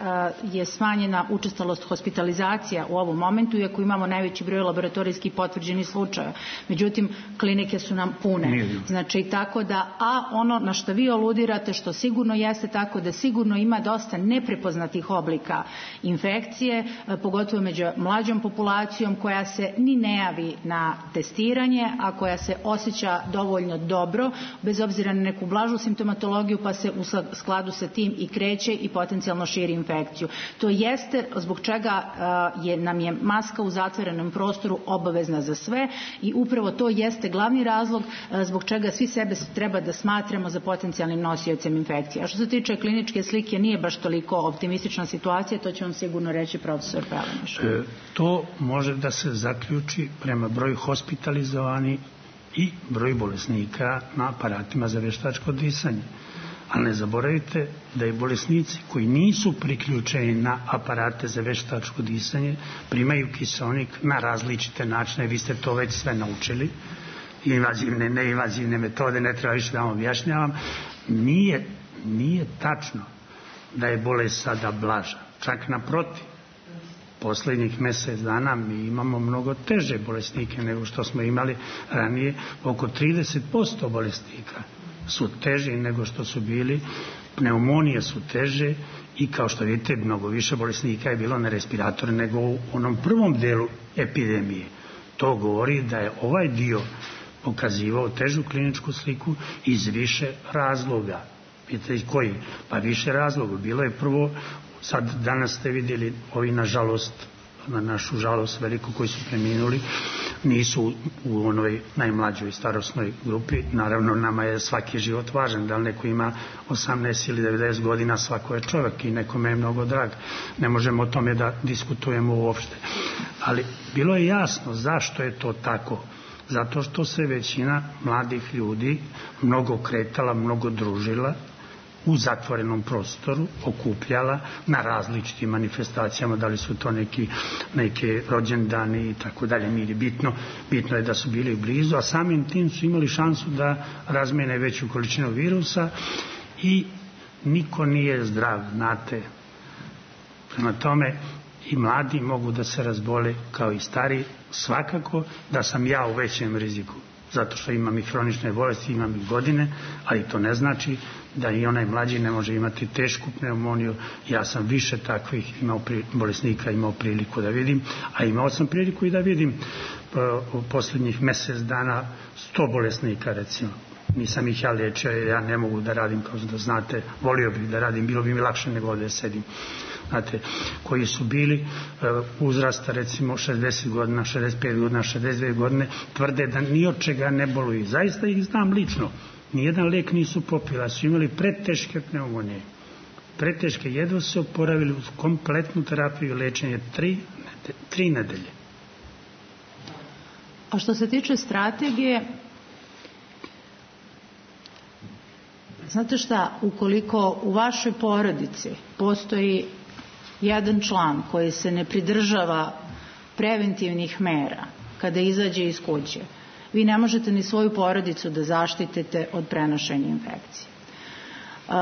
je smanjena učestalost hospitalizacija u ovom momentu, iako imamo najveći broj laboratorijskih potvrđenih slučaja. Međutim, klinike su nam pune. Znači, tako da, a ono na što vi aludirate, što sigurno jeste tako da sigurno ima dosta neprepoznatih oblika infekcije, pogotovo među mlađom populacijom koja se ni ne javi na testiranje, a koja se osjeća dovoljno dobro, bez obzira na neku blažu simptomatologiju, pa se u skladu sa tim i kreće i potencijalno širi infekciju. To jeste zbog čega je, nam je maska u zatvorenom prostoru obavezna za sve i upravo to jeste glavni razlog zbog čega svi sebe treba da smatramo za potencijalnim nosiocem infekcije. A što se tiče kliničke slike, nije baš toliko optimistična situacija, to će vam sigurno reći profesor Pelemiš. E, to može da se zaključi prema broju hospitalizovani i broju bolesnika na aparatima za veštačko disanje. Ali ne zaboravite da i bolesnici koji nisu priključeni na aparate za veštačko disanje primaju kiseonik na različite načine. Vi ste to već sve naučili. Invazivne, neinvazivne metode, ne treba više da vam objašnjavam. Nije, nije tačno da je bolest sada blaža. Čak naprotiv. Poslednjih mjesec dana mi imamo mnogo teže bolesnike nego što smo imali ranije. Oko trideset posto bolesnika su teži nego što su bili, pneumonije su teže i kao što vidite mnogo više bolesnika je bilo na respiratoru nego u onom prvom delu epidemije. To govori da je ovaj dio pokazivao težu kliničku sliku iz više razloga. Pitate koji? Pa više razloga. Bilo je prvo, sad danas ste vidjeli ovi nažalost, na našu žalost veliku koji su preminuli, nisu u onoj najmlađoj starosnoj grupi. Naravno nama je svaki život važan, da li neko ima osamnaest ili devedeset godina, svako je čovjek i nekome je mnogo drag. Ne možemo o tome da diskutujemo uopšte. Ali bilo je jasno zašto je to tako. Zato što se većina mladih ljudi mnogo kretala, mnogo družila u zatvorenom prostoru, okupljala na različitim manifestacijama, da li su to neki, neke rođendani i tako dalje. Nije bitno, bitno je da su bili blizu, a samim tim su imali šansu da razmene veću količinu virusa i niko nije zdrav, znate. Prema tome i mladi mogu da se razbole kao i stari, svakako da sam ja u većem riziku, zato što imam i hronične bolesti, imam i godine, ali to ne znači da i onaj mlađi ne može imati tešku pneumoniju. Ja sam više takvih imao pri, bolesnika imao priliku da vidim, a imao sam priliku i da vidim u posljednjih mjesec dana sto bolesnika recimo. Nisam ih ja liječio, ja ne mogu da radim, kao da znate, volio bih da radim, bilo bi mi lakše nego ovdje sedim. Znate, koji su bili uzrasta recimo šezdeset godina, šezdeset pet godina, šezdeset dvije godine, tvrde da ni od čega ne boluju. Zaista ih znam lično. Nijedan lek nisu popila, su imali preteške pneumonije. Preteške, jedva se oporavili uz kompletnu terapiju i lečenje tri, tri nedelje. A što se tiče strategije, znate šta, ukoliko u vašoj porodici postoji jedan član koji se ne pridržava preventivnih mera kada izađe iz kuće, vi ne možete ni svoju porodicu da zaštitite od prenošenja infekcije. E,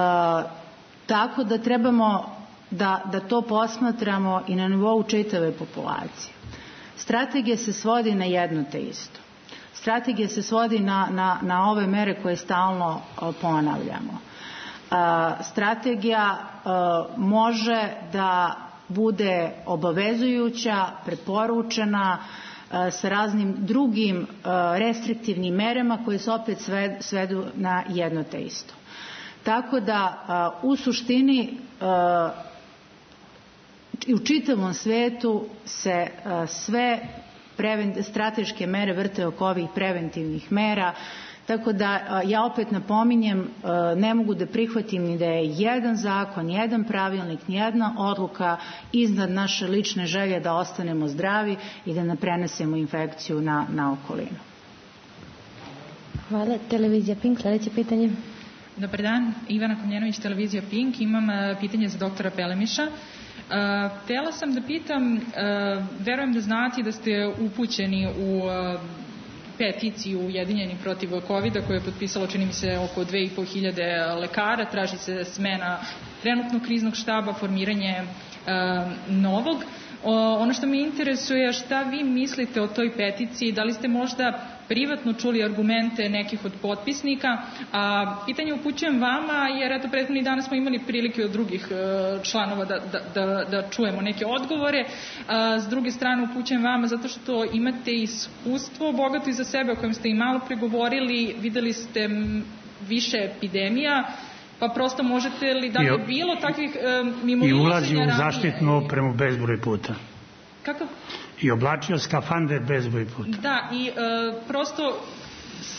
tako da trebamo da, da to posmatramo i na nivou čitave populacije. Strategija se svodi na jedno te isto. Strategija se svodi na, na, na ove mere koje stalno ponavljamo. Strategija može da bude obavezujuća, preporučena sa raznim drugim restriktivnim merama koje se opet svedu na jedno te isto. Tako da u suštini i u čitavom svetu se sve strateške mere vrte oko ovih preventivnih mera, tako da ja opet napominjem, ne mogu da prihvatim ni da je jedan zakon, jedan pravilnik, ni jedna odluka iznad naše lične želje da ostanemo zdravi i da ne prenesemo infekciju na, na okolinu. Hvala. Televizija Pink, sljedeće pitanje. Dobar dan, Ivana Komljenović, televizija Pink. Imam pitanje za doktora Pelemiša. Htjela sam da pitam, verujem da znate da ste upućeni u peticiju Ujedinjeni protiv kovida koju je potpisalo, čini mi se, oko dve i po hiljade lekara. Traži se smena trenutnog kriznog štaba, formiranje novog. Ono što me interesuje, šta vi mislite o toj peticiji, da li ste možda privatno čuli argumente nekih od potpisnika, a pitanje upućujem vama jer eto prethodnih dana smo imali prilike od drugih članova da, da, da, da čujemo neke odgovore. A, s druge strane upućujem vama zato što imate iskustvo bogato iza sebe o kojem ste i malo pregovorili, videli ste više epidemija, pa prosto možete li, da li je bilo takvih um, mimo i ulazi u zaštitnu opremu bezbroj puta. Kako? I oblačio skafande bezbroj puta. Da, i uh, prosto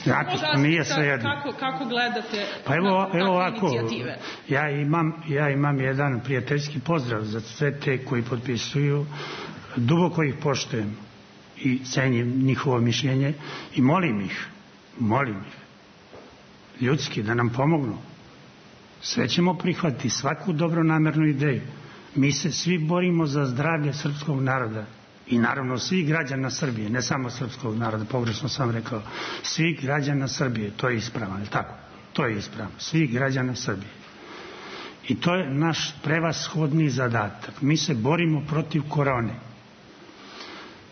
znači, nije svejedno. Kako, kako gledate pa evo, na evo ovako, inicijative? Ja imam, ja imam jedan prijateljski pozdrav za sve te koji potpisuju, duboko ih poštujem i cenim njihovo mišljenje i molim ih, molim ih, ljudski da nam pomognu. Sve ćemo prihvatiti, svaku dobronamernu ideju. Mi se svi borimo za zdravlje srpskog naroda i naravno svih građana Srbije, ne samo srpskog naroda, pogrešno sam rekao, svih građana Srbije, to je ispravno, je tako? To je ispravno, svih građana Srbije. I to je naš prevashodni zadatak. Mi se borimo protiv korone.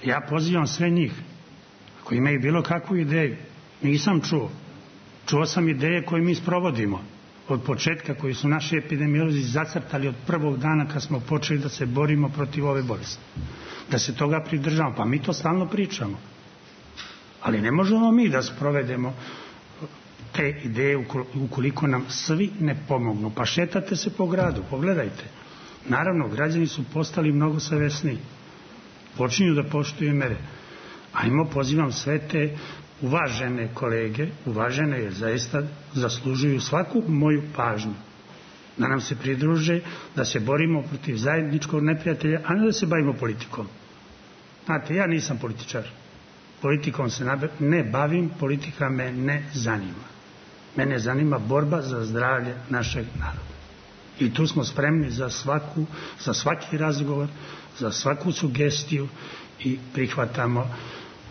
Ja pozivam sve njih koji imaju bilo kakvu ideju. Nisam čuo. Čuo sam ideje koje mi sprovodimo od početka, koji su naši epidemiolozi zacrtali od prvog dana kad smo počeli da se borimo protiv ove bolesti. Da se toga pridržavamo. Pa mi to stalno pričamo. Ali ne možemo mi da sprovedemo te ideje ukoliko nam svi ne pomognu. Pa šetate se po gradu, pogledajte. Naravno, građani su postali mnogo savesniji. Počinju da poštuju mere. Ajmo, pozivam sve te uvažene kolege, uvažene jer zaista zaslužuju svaku moju pažnju, da nam se pridruže, da se borimo protiv zajedničkog neprijatelja, a ne da se bavimo politikom. Znate, ja nisam političar. Politikom se ne bavim, politika me ne zanima. Mene zanima borba za zdravlje našeg naroda. I tu smo spremni za svaku, za svaki razgovor, za svaku sugestiju i prihvatamo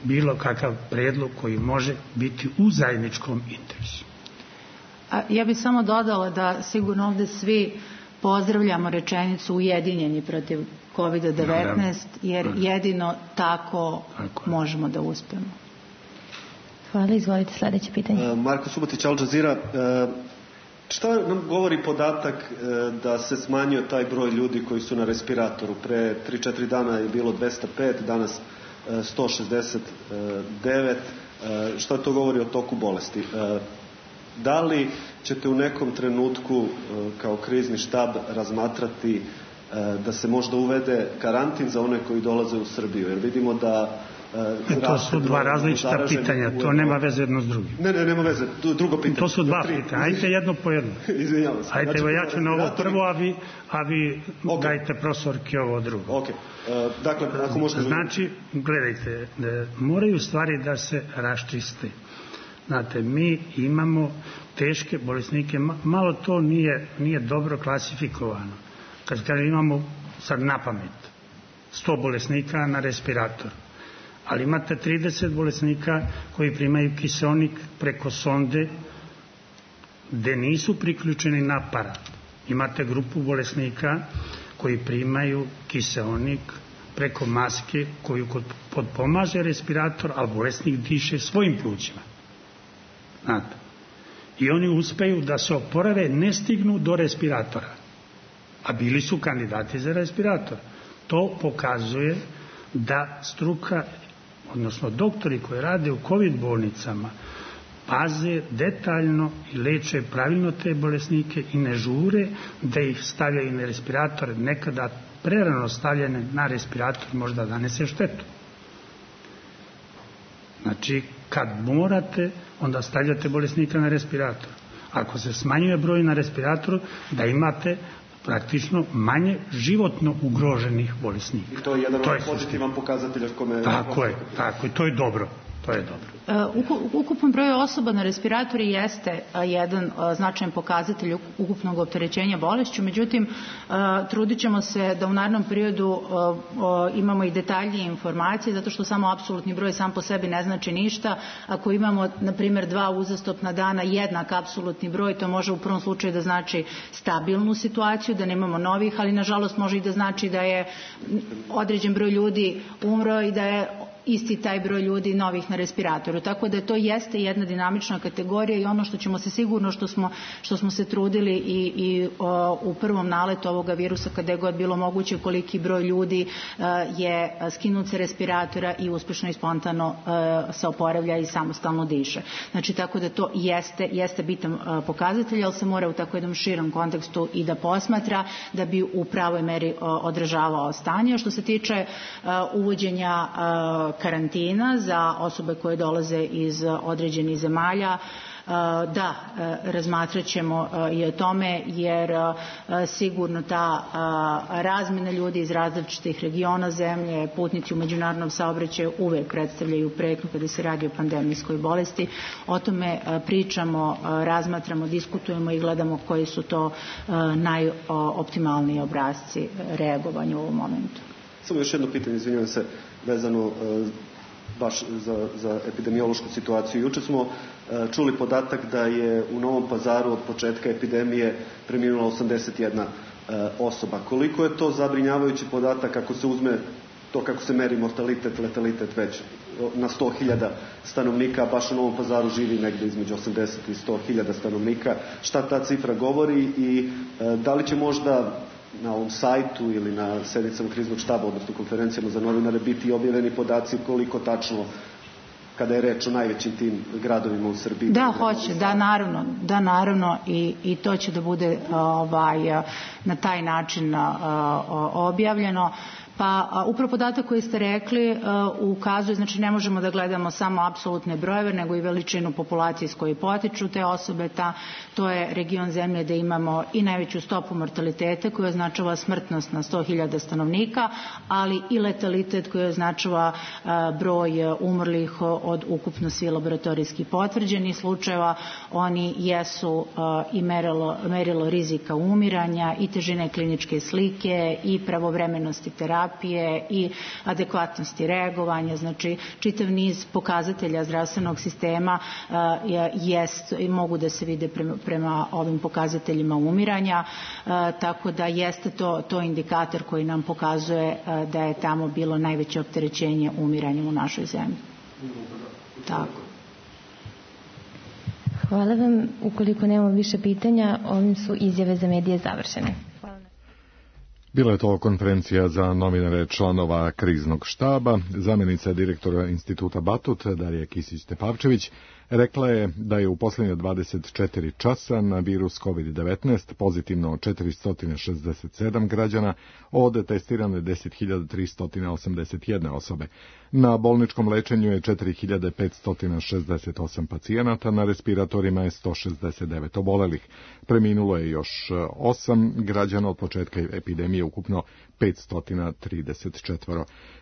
bilo kakav predlog koji može biti u zajedničkom interesu. A ja bih samo dodala da sigurno ovde svi pozdravljamo rečenicu ujedinjeni protiv kovida devetnaest, jer jedino tako, tako možemo da uspemo. Hvala, izvolite sljedeće pitanje. Uh, Marko Subotić, Al Jazeera. Uh, šta nam govori podatak uh, da se smanjio taj broj ljudi koji su na respiratoru? Pre tri četiri dana je bilo dvesta pet, danas sto šezdeset devet. Šta to govori o toku bolesti? Da li ćete u nekom trenutku kao krizni štab razmatrati da se možda uvede karantin za one koji dolaze u Srbiju? Jer vidimo da E, to su dva različita pitanja, to nema veze jedno s drugim. Ne, ne, nema veze, drugo pitanje. To su dva pitanja, ajte jedno po jedno. Izvinjavam se. Ajte, evo ja ću na ovo prvo, a vi, a vi okay. dajte profesorki ovo drugo. Ok, uh, dakle, ako možete... Znači, gledajte, moraju stvari da se raščiste. Znate, mi imamo teške bolesnike, malo to nije, nije dobro klasifikovano. Kad kažem, imamo sad na pamet sto bolesnika na respirator, ali imate trideset bolesnika koji primaju kiseonik preko sonde gde nisu priključeni na aparat. Imate grupu bolesnika koji primaju kiseonik preko maske koju potpomaže respirator, a bolesnik diše svojim plućima. Znate. I oni uspeju da se oporave, ne stignu do respiratora. A bili su kandidati za respirator. To pokazuje da struka, odnosno doktori koji rade u COVID bolnicama, paze detaljno i leče pravilno te bolesnike i ne žure da ih stavljaju na respirator. Nekada prerano stavljene na respirator možda nanese štetu. Znači, kad morate, onda stavljate bolesnika na respirator. Ako se smanjuje broj na respiratoru, da imate praktično manje životno ugroženih bolesnika. I to je jedan od pozitivan pokazatelja kome... Tako je, tako je, to je dobro. To je dobro. Ukupan broj osoba na respiratori jeste jedan značajan pokazatelj ukupnog opterećenja bolešću, međutim trudit ćemo se da u narednom periodu imamo i detaljnije informacije, zato što samo apsolutni broj sam po sebi ne znači ništa. Ako imamo, na primjer, dva uzastopna dana jednak apsolutni broj, to može u prvom slučaju da znači stabilnu situaciju, da nemamo novih, ali nažalost može i da znači da je određen broj ljudi umro i da je isti taj broj ljudi novih na respiratoru. Tako da to jeste jedna dinamična kategorija i ono što ćemo se sigurno, što smo, što smo se trudili i, i o, u prvom naletu ovoga virusa, kada je god bilo moguće, koliki broj ljudi a, je skinut sa respiratora i uspešno i spontano a, se oporavlja i samostalno diše. Znači, tako da to jeste, jeste bitan a, pokazatelj, ali se mora u tako jednom širom kontekstu i da posmatra da bi u pravoj meri a, odražavao stanje. Što se tiče a, uvođenja a, karantina za osobe koje dolaze iz određenih zemalja, da, razmatrat ćemo i o tome, jer sigurno ta razmjena ljudi iz različitih regiona zemlje, putnici u međunarodnom saobraćaju uvek predstavljaju pretnju kada se radi o pandemijskoj bolesti. O tome pričamo, razmatramo, diskutujemo i gledamo koji su to najoptimalniji obrasci reagovanja u ovom momentu. Samo još jedno pitanje, izvinjavam se, vezano e, baš za, za epidemiološku situaciju. Juče smo e, čuli podatak da je u Novom Pazaru od početka epidemije preminula osamdeset jedna e, osoba. Koliko je to zabrinjavajući podatak ako se uzme to kako se meri mortalitet, letalitet već na sto hiljada stanovnika, baš u Novom Pazaru živi negde između osamdeset i sto hiljada stanovnika. Šta ta cifra govori i e, da li će možda na ovom sajtu ili na sednicama kriznog štaba, odnosno konferencijama za novinare, biti objavljeni podaci koliko tačno, kada je reč o najvećim tim gradovima u Srbiji? Da, hoće, da, naravno, da, naravno i, i to će da bude ovaj, na taj način objavljeno. Pa upravo podatak koji ste rekli uh, ukazuje, znači ne možemo da gledamo samo apsolutne brojeve, nego i veličinu populacije s koje potiču te osobe. Ta, to je region zemlje da imamo i najveću stopu mortaliteta koja označava smrtnost na sto hiljada stanovnika, ali i letalitet koji označava uh, broj umrlih od ukupno svi laboratorijski potvrđenih slučajeva. Oni jesu uh, i merilo, merilo rizika umiranja i težine kliničke slike i pravovremenosti terapije i adekvatnosti reagovanja, znači čitav niz pokazatelja zdravstvenog sistema uh, jest i mogu da se vide prema, prema ovim pokazateljima umiranja, uh, tako da jeste to, to indikator koji nam pokazuje uh, da je tamo bilo najveće opterećenje umiranja u našoj zemlji. Tako. Hvala vam. Ukoliko nemamo više pitanja, ovim su izjave za medije završene. Bila je to konferencija za novinare članova kriznog štaba. Zamjenica direktora instituta Batut, Darija Kisić-Tepavčević, rekla je da je u posljednje dvadeset četiri časa na virus kovid devetnaest pozitivno četiristo šezdeset sedam građana od testirane deset hiljada tristo osamdeset jedna osobe. Na bolničkom lečenju je četiri hiljade petsto šezdeset osam pacijenata, na respiratorima je sto šezdeset devet obolelih. Preminulo je još osam građana od početka epidemije, ukupno petsto trideset četiri.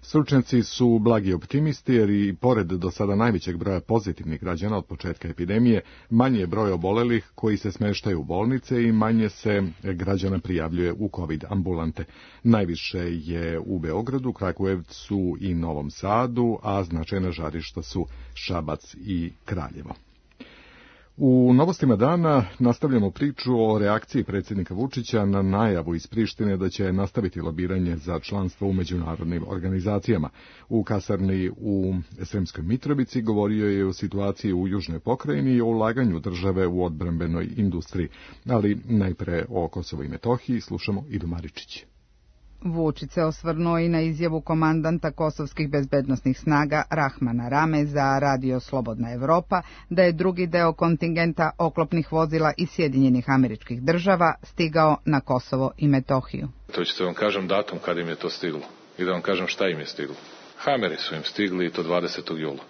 Stručnjaci su blagi optimisti jer i pored do sada najvećeg broja pozitivnih građana od početka epidemije, manje je broj obolelih koji se smeštaju u bolnice i manje se građana prijavljuje u COVID ambulante. Najviše je u Beogradu, Kragujevcu i Novom Sadu, a značajna žarišta su Šabac i Kraljevo. U novostima dana nastavljamo priču o reakciji predsjednika Vučića na najavu iz Prištine da će nastaviti lobiranje za članstvo u međunarodnim organizacijama. U kasarni u Sremskoj Mitrovici govorio je o situaciji u južnoj pokrajini i o ulaganju države u odbrambenoj industriji, ali najpre o Kosovo i Metohiji slušamo Idu Maričić. Vučić se osvrnuo i na izjavu komandanta kosovskih bezbednosnih snaga Rahmana Rame za Radio Slobodna Evropa da je drugi deo kontingenta oklopnih vozila iz Sjedinjenih Američkih Država stigao na Kosovo i Metohiju. To ćete vam kažem datum kad im je to stiglo i da vam kažem šta im je stiglo. Hameri su im stigli i to dvadesetog jula.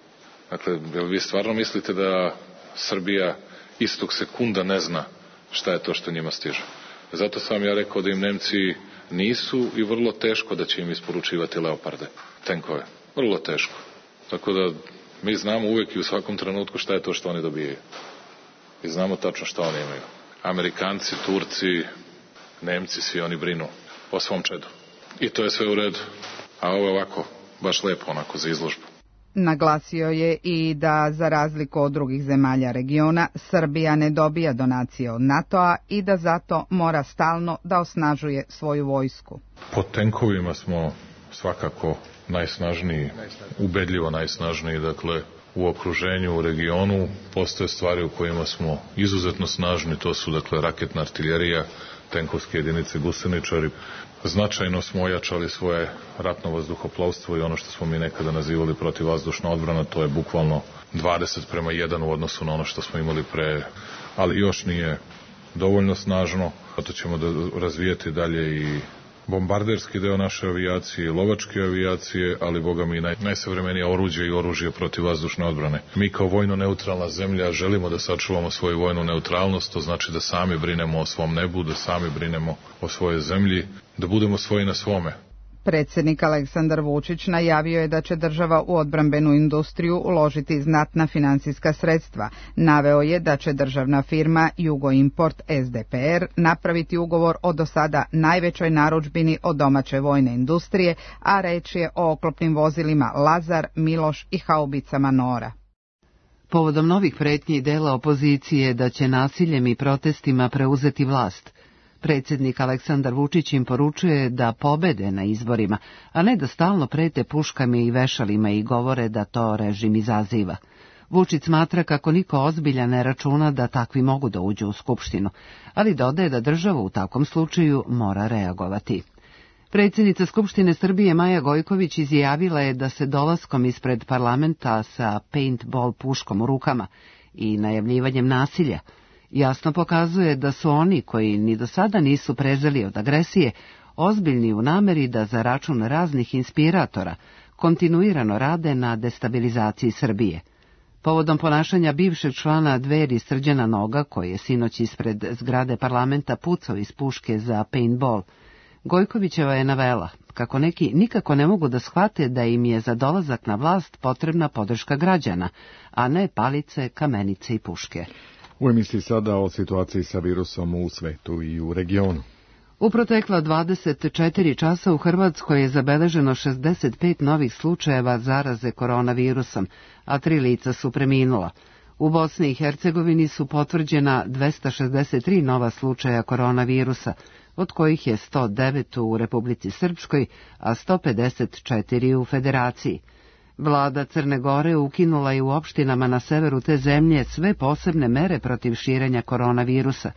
Dakle, jel vi stvarno mislite da Srbija istog sekunda ne zna šta je to što njima stiže? Zato sam ja rekao da im Nemci nisu i vrlo teško da će im isporučivati Leoparde, tenkove. Vrlo teško. Tako da mi znamo uvijek i u svakom trenutku šta je to što oni dobijaju. I znamo tačno šta oni imaju. Amerikanci, Turci, Nemci, svi oni brinu o svom čedu. I to je sve u redu. A ovo je ovako, baš lepo onako za izložbu. Naglasio je i da, za razliku od drugih zemalja regiona, Srbija ne dobija donacije od NATO-a i da zato mora stalno da osnažuje svoju vojsku. Po tenkovima smo svakako najsnažniji, ubedljivo najsnažniji, dakle u okruženju, u regionu. Postoje stvari u kojima smo izuzetno snažni, to su dakle raketna artiljerija, tenkovske jedinice, guseničari. Značajno smo ojačali svoje ratno vazduhoplovstvo i ono što smo mi nekada nazivali protivvazdušna odbrana, to je bukvalno dvadeset prema jedan u odnosu na ono što smo imali pre, ali još nije dovoljno snažno. Zato ćemo da razvijeti dalje i bombarderski deo naše avijacije, lovačke avijacije, ali boga mi naj, najsavremenija oruđe i oružje protivvazdušne odbrane. Mi kao vojno neutralna zemlja želimo da sačuvamo svoju vojnu neutralnost, to znači da sami brinemo o svom nebu, da sami brinemo o svojoj zemlji, da budemo svoji na svome. Predsjednik Aleksandar Vučić najavio je da će država u odbrambenu industriju uložiti znatna financijska sredstva. Naveo je da će državna firma Jugoimport S D P R napraviti ugovor o do sada najvećoj narudžbini od domaće vojne industrije, a reč je o oklopnim vozilima Lazar, Miloš i haubicama Nora. Povodom novih pretnji dela opozicije da će nasiljem i protestima preuzeti vlast, predsjednik Aleksandar Vučić im poručuje da pobede na izborima, a ne da stalno prete puškama i vešalima i govore da to režim izaziva. Vučić smatra kako niko ozbiljan ne računa da takvi mogu da uđu u Skupštinu, ali dodaje da država u takvom slučaju mora reagovati. Predsjednica Skupštine Srbije Maja Gojković izjavila je da se dolaskom ispred parlamenta sa paintball puškom u rukama i najavljivanjem nasilja jasno pokazuje da su oni koji ni do sada nisu prezeli od agresije ozbiljni u nameri da za račun raznih inspiratora kontinuirano rade na destabilizaciji Srbije. Povodom ponašanja bivšeg člana Dveri Srđana Noga, koji je sinoć ispred zgrade parlamenta pucao iz puške za paintball, Gojkovićeva je navela kako neki nikako ne mogu da shvate da im je za dolazak na vlast potrebna podrška građana, a ne palice, kamenice i puške. U emisiji sada o situaciji sa virusom u svetu i u regionu. U protekla dvadeset četiri časa u Hrvatskoj je zabeleženo šezdeset pet novih slučajeva zaraze koronavirusom, a tri lica su preminula. U Bosni i Hercegovini su potvrđena dvesta šezdeset tri nova slučaja koronavirusa, od kojih je sto devet u Republici Srpskoj, a sto pedeset četiri u Federaciji. Vlada Crne Gore ukinula je u opštinama na severu te zemlje sve posebne mere protiv širenja koronavirusa,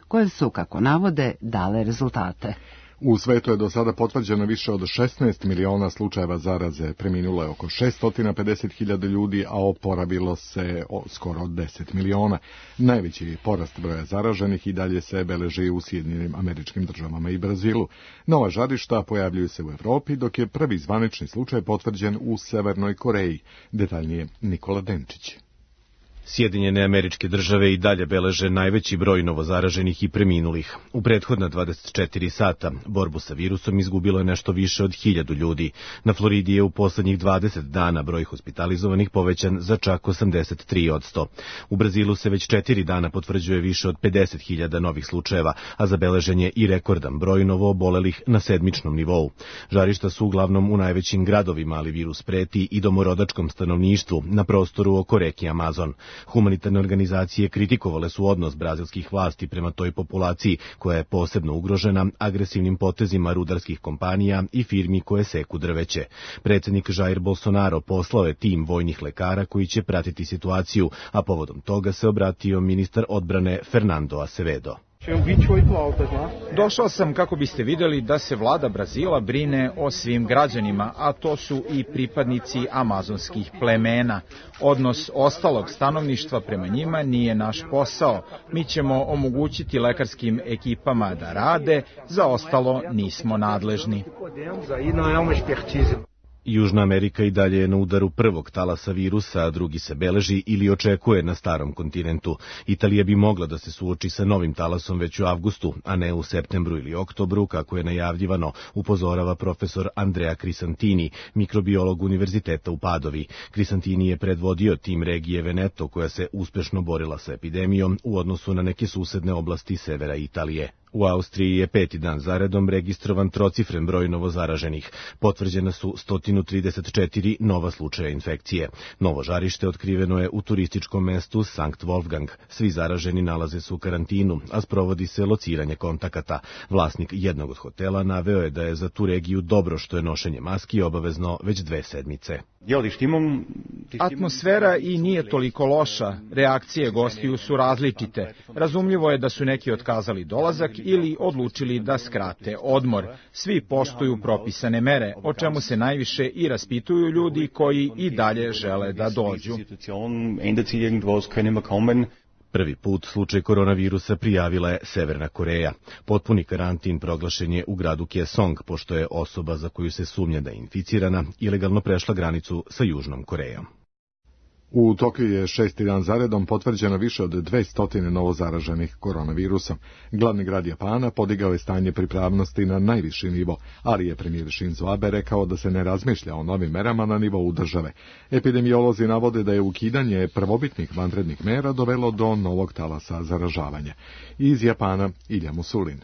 koje su, kako navode, dale rezultate. U svetu je do sada potvrđeno više od šesnaest miliona slučajeva zaraze, preminulo je oko šesto pedeset hiljada ljudi, a oporavilo se skoro deset miliona. Najveći porast broja zaraženih i dalje se beleži u Sjedinjenim Američkim Državama i Brazilu. Nova žarišta pojavljuju se u Evropi, dok je prvi zvanični slučaj potvrđen u Severnoj Koreji. Detaljnije Nikola Denčić. Sjedinjene Američke Države i dalje beleže najveći broj novozaraženih i preminulih. U prethodna dvadeset četiri sata borbu sa virusom izgubilo je nešto više od hiljadu ljudi. Na Floridi je u poslednjih dvadeset dana broj hospitalizovanih povećan za čak osamdeset tri posto. U Brazilu se već četiri dana potvrđuje više od pedeset hiljada novih slučajeva, a zabeležen je i rekordan broj novoobolelih na sedmičnom nivou. Žarišta su uglavnom u najvećim gradovima, ali virus preti i domorodačkom stanovništvu na prostoru oko reke Amazon. Humanitarne organizacije kritikovale su odnos brazilskih vlasti prema toj populaciji, koja je posebno ugrožena agresivnim potezima rudarskih kompanija i firmi koje seku drveće. Predsjednik Jair Bolsonaro poslao je tim vojnih lekara koji će pratiti situaciju, a povodom toga se obratio ministar odbrane Fernando Azevedo. Došao sam kako biste vidjeli da se vlada Brazila brine o svim građanima, a to su i pripadnici amazonskih plemena. Odnos ostalog stanovništva prema njima nije naš posao. Mi ćemo omogućiti lekarskim ekipama da rade, za ostalo nismo nadležni. Južna Amerika i dalje je na udaru prvog talasa virusa, a drugi se beleži ili očekuje na starom kontinentu. Italija bi mogla da se suoči sa novim talasom već u avgustu, a ne u septembru ili oktobru, kako je najavljivano, upozorava profesor Andrea Crisantini, mikrobiolog Univerziteta u Padovi. Crisantini je predvodio tim regije Veneto, koja se uspešno borila sa epidemijom u odnosu na neke susedne oblasti severa Italije. U Austriji je peti dan zaredom registrovan trocifren broj novozaraženih. Potvrđena su sto trideset četiri nova slučaja infekcije. Novo žarište otkriveno je u turističkom mestu Sankt Wolfgang. Svi zaraženi nalaze se u karantinu, a sprovodi se lociranje kontakata. Vlasnik jednog od hotela naveo je da je za tu regiju dobro što je nošenje maski obavezno već dve sedmice. Atmosfera i nije toliko loša. Reakcije gostiju su različite. Razumljivo je da su neki otkazali dolazak ili odlučili da skrate odmor. Svi poštuju propisane mere, o čemu se najviše i raspituju ljudi koji i dalje žele da dođu. Prvi put slučaj koronavirusa prijavila je Severna Koreja. Potpuni karantin proglašen je u gradu Kaesong, pošto je osoba za koju se sumnja da je inficirana ilegalno prešla granicu sa Južnom Korejom. U Tokiju je šesti dan zaredom potvrđeno više od dvesta novozaraženih koronavirusom. Glavni grad Japana podigao je stanje pripravnosti na najviši nivo, ali je premijer Shinzo Abe rekao da se ne razmišlja o novim merama na nivou države. Epidemiolozi navode da je ukidanje prvobitnih vanrednih mera dovelo do novog talasa zaražavanja. Iz Japana Ilja Musulin.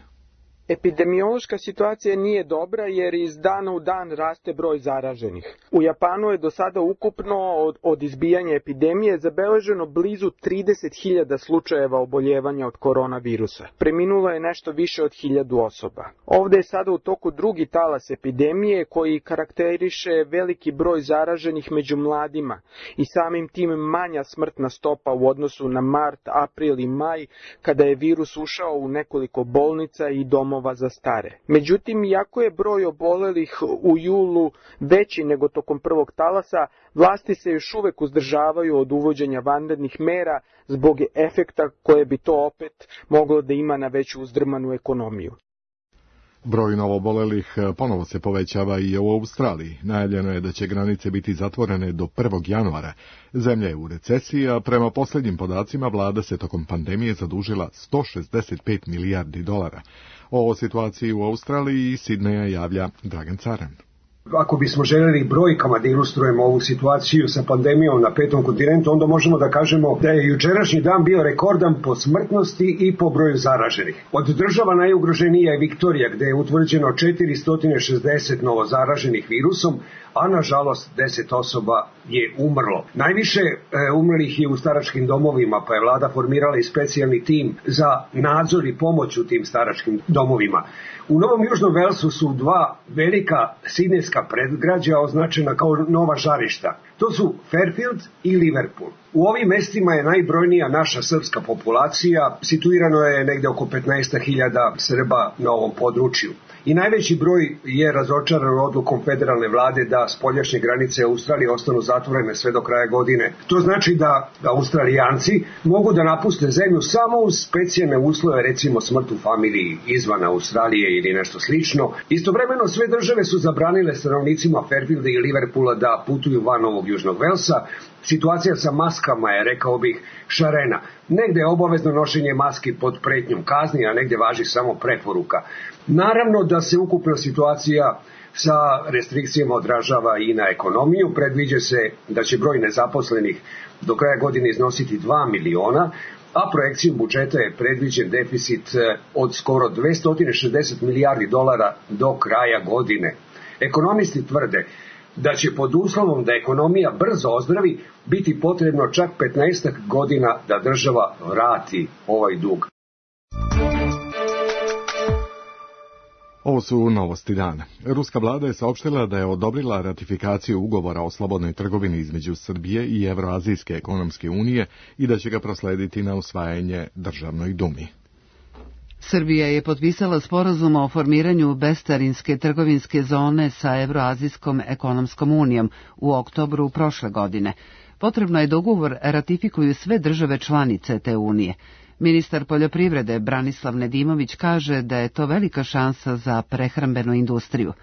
Epidemiološka situacija nije dobra jer iz dana u dan raste broj zaraženih. U Japanu je do sada ukupno od, od izbijanja epidemije zabeleženo blizu trideset hiljada slučajeva oboljevanja od koronavirusa. Preminulo je nešto više od hiljadu osoba. Ovdje je sada u toku drugi talas epidemije koji karakteriše veliki broj zaraženih među mladima i samim tim manja smrtna stopa u odnosu na mart, april i maj kada je virus ušao u nekoliko bolnica i domova za stare. Međutim, iako je broj obolelih u julu veći nego tokom prvog talasa, vlasti se još uvek uzdržavaju od uvođenja vanrednih mera zbog efekta koje bi to opet moglo da ima na već uzdrmanu ekonomiju. Broj novoobolelih ponovo se povećava i u Australiji. Najavljeno je da će granice biti zatvorene do prvog januara. Zemlja je u recesiji, a prema posljednjim podacima vlada se tokom pandemije zadužila sto šezdeset pet milijardi dolara. O situaciji u Australiji i Sidneja javlja Dragan Caran. Ako bismo željeli brojkama da ilustrujemo ovu situaciju sa pandemijom na petom kontinentu, onda možemo da kažemo da je jučerašnji dan bio rekordan po smrtnosti i po broju zaraženih. Od država najugroženija je Viktorija, gde je utvrđeno četiristo šezdeset novozaraženih virusom, a nažalost deset osoba je umrlo. Najviše e, umrlih je u staračkim domovima, pa je vlada formirala i specijalni tim za nadzor i pomoć u tim staračkim domovima. U Novom Južnom Velsu su dva velika sidnejska predgrađa označena kao nova žarišta. To su Fairfield i Liverpool. U ovim mestima je najbrojnija naša srpska populacija, situirano je negde oko petnaest hiljada Srba na ovom području. I najveći broj je razočaran odlukom federalne vlade da spoljašnje granice Australije ostanu zatvorene sve do kraja godine. To znači da Australijanci mogu da napuste zemlju samo uz specijalne uslove, recimo smrt u familiji izvan Australije ili nešto slično. Istovremeno sve države su zabranile stanovnicima Fairfielda i Liverpoola da putuju van Novog Južnog Velsa. Situacija sa maskama je, rekao bih, šarena. Negde je obavezno nošenje maski pod pretnjom kazni, a negde važi samo preporuka. Naravno da se ukupna situacija sa restrikcijama odražava i na ekonomiju. Predviđa se da će broj nezaposlenih do kraja godine iznositi dva miliona, a projekcijom budžeta je predviđen deficit od skoro dvesta šezdeset milijardi dolara do kraja godine. Ekonomisti tvrde da će pod uslovom da ekonomija brzo ozdravi biti potrebno čak petnaestak godina da država vrati ovaj dug. Ovo su novosti dana. Ruska vlada je saopštila da je odobrila ratifikaciju ugovora o slobodnoj trgovini između Srbije i Evroazijske ekonomske unije i da će ga proslediti na usvajanje Državnoj dumi. Srbija je potpisala sporazum o formiranju bescarinske trgovinske zone sa Evroazijskom ekonomskom unijom u oktobru prošle godine. Potrebno je da ugovor ratifikuju sve države članice te unije. Ministar poljoprivrede Branislav Nedimović kaže da je to velika šansa za prehrambenu industriju.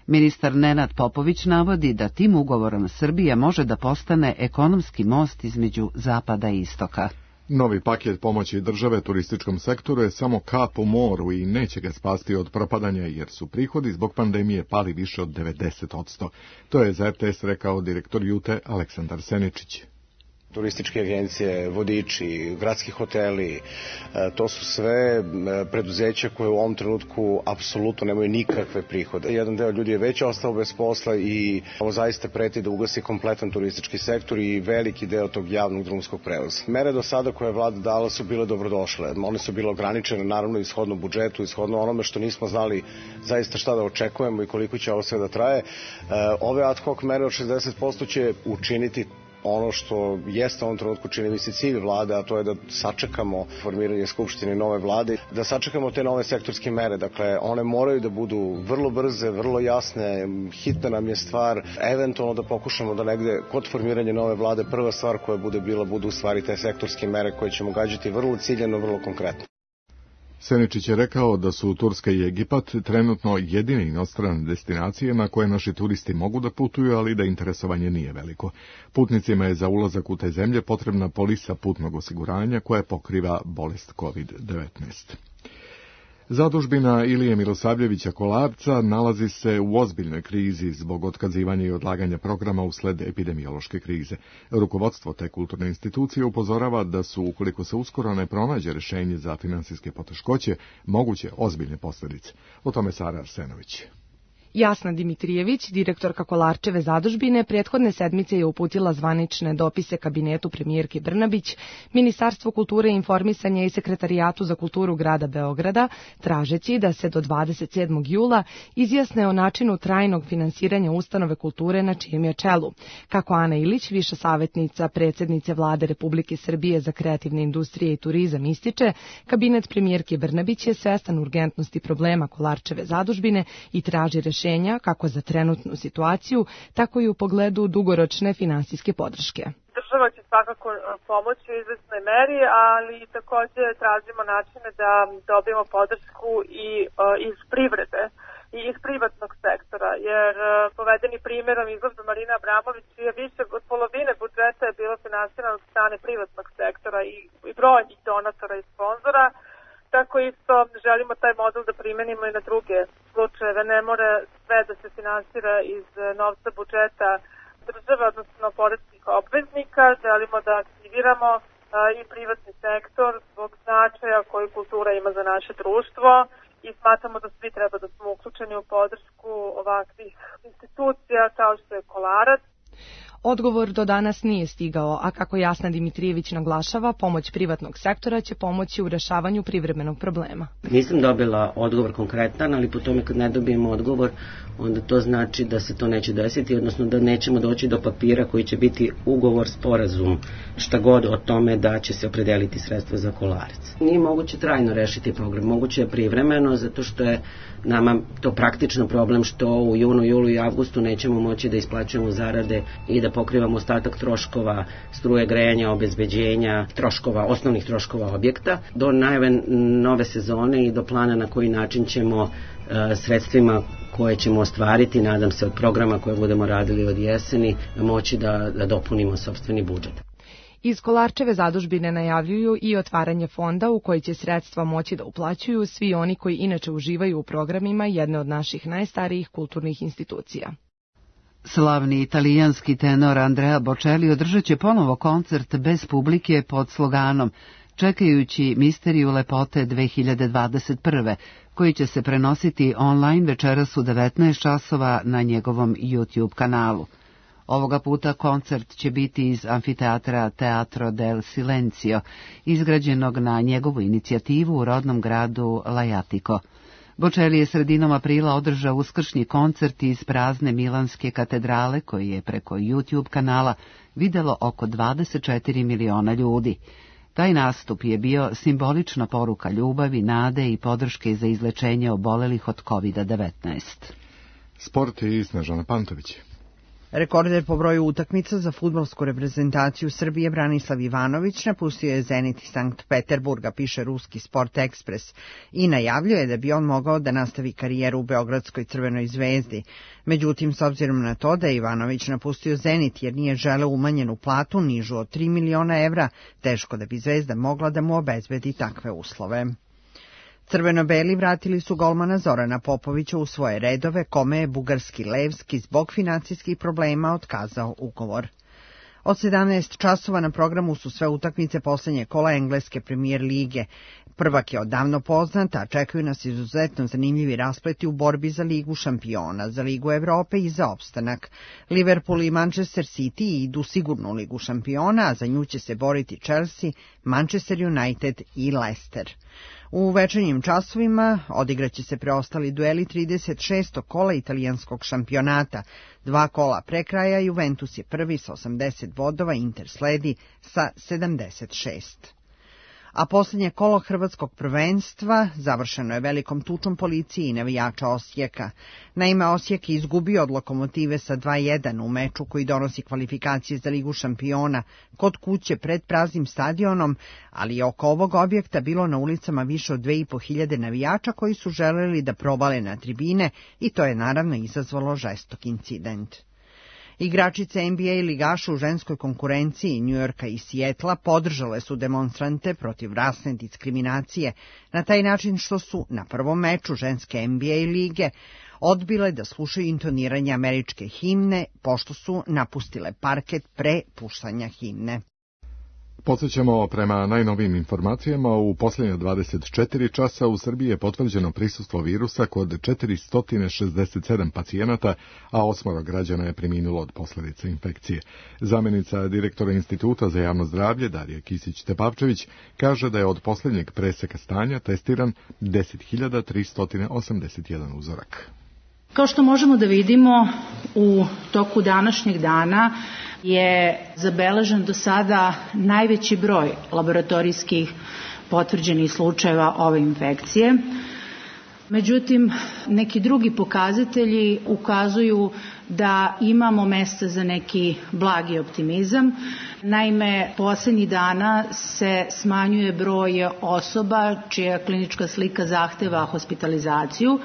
Ministar Nenad Popović navodi da tim ugovorom Srbija može da postane ekonomski most između zapada i istoka. Novi paket pomoći države turističkom sektoru je samo kap u moru i neće ga spasti od propadanja jer su prihodi zbog pandemije pali više od devedeset posto. To je za R T S rekao direktor Jute Aleksandar Seničić. Turističke agencije, vodiči, gradski hoteli, to su sve preduzeća koje u ovom trenutku apsolutno nemaju nikakve prihode. Jedan deo ljudi je već ostao bez posla i ovo zaista preti da ugasi kompletan turistički sektor i veliki deo tog javnog drumskog prevoza. Mere do sada koje je vlada dala su bile dobrodošle. One su bile ograničene naravno ishodno budžetu, ishodno onome što nismo znali zaista šta da očekujemo i koliko će ovo sve da traje. Ove ad hoc mere od šezdeset posto će učiniti ono što jeste u ovom trenutku čini mi se cilj vlade, a to je da sačekamo formiranje skupštine nove vlade, da sačekamo te nove sektorske mere. Dakle, one moraju da budu vrlo brze, vrlo jasne, hitna nam je stvar, eventualno da pokušamo da negde kod formiranja nove vlade prva stvar koja bude bila, budu u stvari te sektorske mere koje ćemo gađati vrlo ciljano, vrlo konkretno. Seničić je rekao da su Turska i Egipat trenutno jedine inostrane destinacije na koje naši turisti mogu da putuju, ali da interesovanje nije veliko. Putnicima je za ulazak u te zemlje potrebna polisa putnog osiguranja koja pokriva bolest kovid devetnaest. Zadužbina Ilije Milosavljevića Kolarca nalazi se u ozbiljnoj krizi zbog otkazivanja i odlaganja programa usled epidemiološke krize. Rukovodstvo te kulturne institucije upozorava da su, ukoliko se uskoro ne pronađe rešenje za finansijske poteškoće, moguće ozbiljne posljedice. O tome Sara Arsenović. Jasna Dimitrijević, direktorka Kolarčeve zadužbine, prethodne sedmice je uputila zvanične dopise kabinetu premijerke Brnabić, Ministarstvu kulture i informisanja i Sekretarijatu za kulturu grada Beograda, tražeći da se do dvadeset sedmog jula izjasne o načinu trajnog finansiranja ustanove kulture na čijem je čelu. Kako Ana Ilić, viša savjetnica predsjednice Vlade Republike Srbije za kreativne industrije i turizam, ističe, kabinet premijerke Brnabić je svestan urgentnosti problema Kolarčeve zadužbine i traži rešenje kako za trenutnu situaciju, tako i u pogledu dugoročne finansijske podrške. Država će svakako pomoći u izvesnoj meri, ali također tražimo načine da dobijemo podršku i iz privrede i iz privatnog sektora, jer povedeni primjerom izlaza Marina Abramović je više od polovine budžeta je bilo finansirano od strane privatnog sektora i, i brojnih donatora i sponzora. Tako isto želimo taj model da primenimo i na druge slučajeve. Ne mora sve da se finansira iz novca budžeta države, odnosno poreskih obveznika. Želimo da aktiviramo a, i privatni sektor zbog značaja koju kultura ima za naše društvo i smatramo da svi treba da smo uključeni u podršku ovakvih institucija kao što je Kolarac. Odgovor do danas nije stigao, a kako Jasna Dimitrijević naglašava, pomoć privatnog sektora će pomoći u rešavanju privremenog problema. Nisam dobila odgovor konkretan, ali po tome kad ne dobijemo odgovor, onda to znači da se to neće desiti, odnosno da nećemo doći do papira koji će biti ugovor, sporazum, šta god o tome da će se opredeliti sredstva za Kolarac. Nije moguće trajno rešiti program, moguće je privremeno, zato što je nama to praktično problem što u junu, julu i avgustu nećemo moći da isplaćujemo zarade i da pokrivamo ostatak troškova struje, grejanja, obezbeđenja, troškova, osnovnih troškova objekta. Do najave nove sezone i do plana na koji način ćemo uh, sredstvima koje ćemo ostvariti, nadam se od programa koje budemo radili od jeseni, moći da, da dopunimo sopstveni budžet. Iz Kolarčeve zadužbine najavljuju i otvaranje fonda u koji će sredstva moći da uplaćuju svi oni koji inače uživaju u programima jedne od naših najstarijih kulturnih institucija. Slavni italijanski tenor Andrea Bocelli održat će ponovo koncert bez publike pod sloganom čekajući Misteriju lepote dve hiljade dvadeset prve, koji će se prenositi online večeras u devetnaest časova na njegovom YouTube kanalu. Ovoga puta koncert će biti iz amfiteatra Teatro del Silencio, izgrađenog na njegovu inicijativu u rodnom gradu Lajatiko. Bocelli je sredinom aprila održao uskršnji koncert iz prazne Milanske katedrale, koji je preko YouTube kanala videlo oko dvadeset četiri miliona ljudi. Taj nastup je bio simbolična poruka ljubavi, nade i podrške za izlečenje obolelih od kovid devetnaest. Sport i Snežana Pantović. Rekorder po broju utakmica za fudbalsku reprezentaciju Srbije Branislav Ivanović napustio je Zenit iz Sankt Peterburga, piše ruski Sport Ekspres, i najavljuje da bi on mogao da nastavi karijeru u Beogradskoj Crvenoj zvezdi. Međutim, s obzirom na to da je Ivanović napustio Zenit jer nije želeo umanjenu platu nižu od tri miliona evra, teško da bi zvezda mogla da mu obezbedi takve uslove. Crveno-beli vratili su golmana Zorana Popovića u svoje redove, kome je bugarski Levski zbog financijskih problema otkazao ugovor. Od sedamnaest časova na programu su sve utakmice poslednje kola engleske premijer lige. Prvak je odavno poznat, a čekaju nas izuzetno zanimljivi raspleti u borbi za Ligu šampiona, za Ligu Evrope i za opstanak. Liverpool i Manchester City idu sigurno u Ligu šampiona, a za nju će se boriti Chelsea, Manchester United i Leicester. U večernjim časovima odigraće se preostali dueli trideset šestog kola italijanskog šampionata. Dva kola pre kraja Juventus je prvi sa osamdeset bodova, Inter sledi sa sedamdeset šest. A posljednje kolo hrvatskog prvenstva završeno je velikom tučom policije i navijača Osijeka. Naime, Osijek je izgubio od Lokomotive sa dva jedan u meču koji donosi kvalifikacije za Ligu šampiona kod kuće pred praznim stadionom, ali je oko ovog objekta bilo na ulicama više od dve i po hiljade navijača koji su želeli da probale na tribine i to je naravno izazvalo žestok incident. Igračice N B A ligaša u ženskoj konkurenciji Njujorka i Sijetla podržale su demonstrante protiv rasne diskriminacije na taj način što su na prvom meču ženske N B A lige odbile da slušaju intoniranje američke himne pošto su napustile parket pre puštanja himne. Podsjećamo, prema najnovijim informacijama, u posljednje dvadeset četiri časa u Srbiji je potvrđeno prisustvo virusa kod četiristo šezdeset sedam pacijenata, a osmoro građana je preminulo od posljedica infekcije. Zamjenica direktora Instituta za javno zdravlje Darija Kisić-Tepavčević kaže da je od posljednjeg preseka stanja testiran deset hiljada tristo osamdeset jedan uzorak. Kao što možemo da vidimo, u toku današnjeg dana je zabeležen do sada najveći broj laboratorijskih potvrđenih slučajeva ove infekcije. Međutim, neki drugi pokazatelji ukazuju da imamo mesta za neki blagi optimizam. Naime, posljednjih dana se smanjuje broj osoba čija klinička slika zahteva hospitalizaciju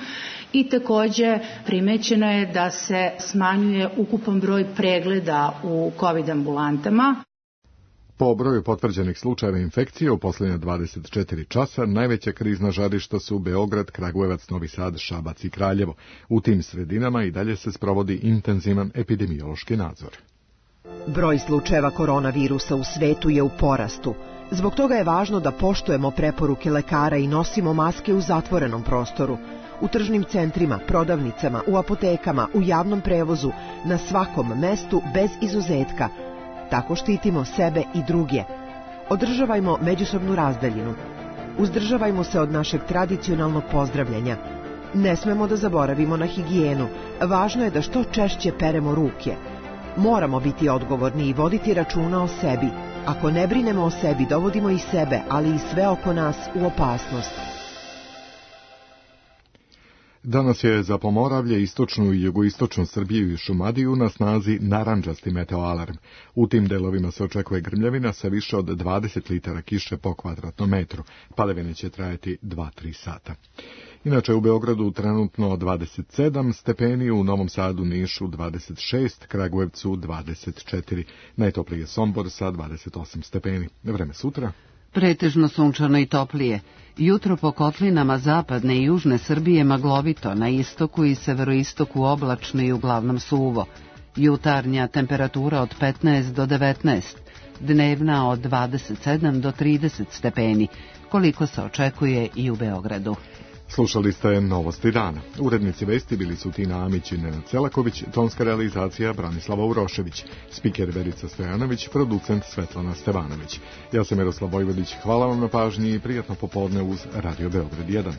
i takođe primećeno je da se smanjuje ukupan broj pregleda u COVID ambulantama. Po broju potvrđenih slučajeva infekcije u posljednje dvadeset četiri časa najveća krizna žarišta su Beograd, Kragujevac, Novi Sad, Šabac i Kraljevo. U tim sredinama i dalje se sprovodi intenzivan epidemiološki nadzor. Broj slučajeva koronavirusa u svetu je u porastu. Zbog toga je važno da poštujemo preporuke lekara i nosimo maske u zatvorenom prostoru. U tržnim centrima, prodavnicama, u apotekama, u javnom prevozu, na svakom mestu bez izuzetka. Tako štitimo sebe i druge. Održavajmo međusobnu razdaljinu. Uzdržavajmo se od našeg tradicionalnog pozdravljanja. Ne smemo da zaboravimo na higijenu. Važno je da što češće peremo ruke. Moramo biti odgovorni i voditi računa o sebi. Ako ne brinemo o sebi, dovodimo i sebe, ali i sve oko nas u opasnost. Danas je za Pomoravlje, istočnu i jugoistočnu Srbiju i Šumadiju na snazi narandžasti meteoalarm. U tim delovima se očekuje grmljavina sa više od dvadeset litara kiše po kvadratnom metru. Padavine će trajati dva do tri sata. Inače, u Beogradu trenutno dvadeset sedam stepeni, u Novom Sadu, Nišu dvadeset šest, Kragujevcu dvadeset četiri, najtopliji je Sombor sa dvadeset osam stepeni. Vreme sutra? Pretežno sunčano i toplije. Jutro po kotlinama zapadne i južne Srbije maglovito, na istoku i severoistoku oblačno i uglavnom suvo. Jutarnja temperatura od petnaest do devetnaest. dnevna od dvadeset sedam do trideset stepeni, koliko se očekuje i u Beogradu. Slušali ste Novosti dana. Urednici vesti bili su Tina Amić i Nenad Celaković, tonska realizacija Branislava Urošević, spiker Verica Stojanović, producent Svetlana Stevanović. Ja sam Miroslav Vojvodić, hvala vam na pažnji i prijatno popodne uz Radio Beograd jedan.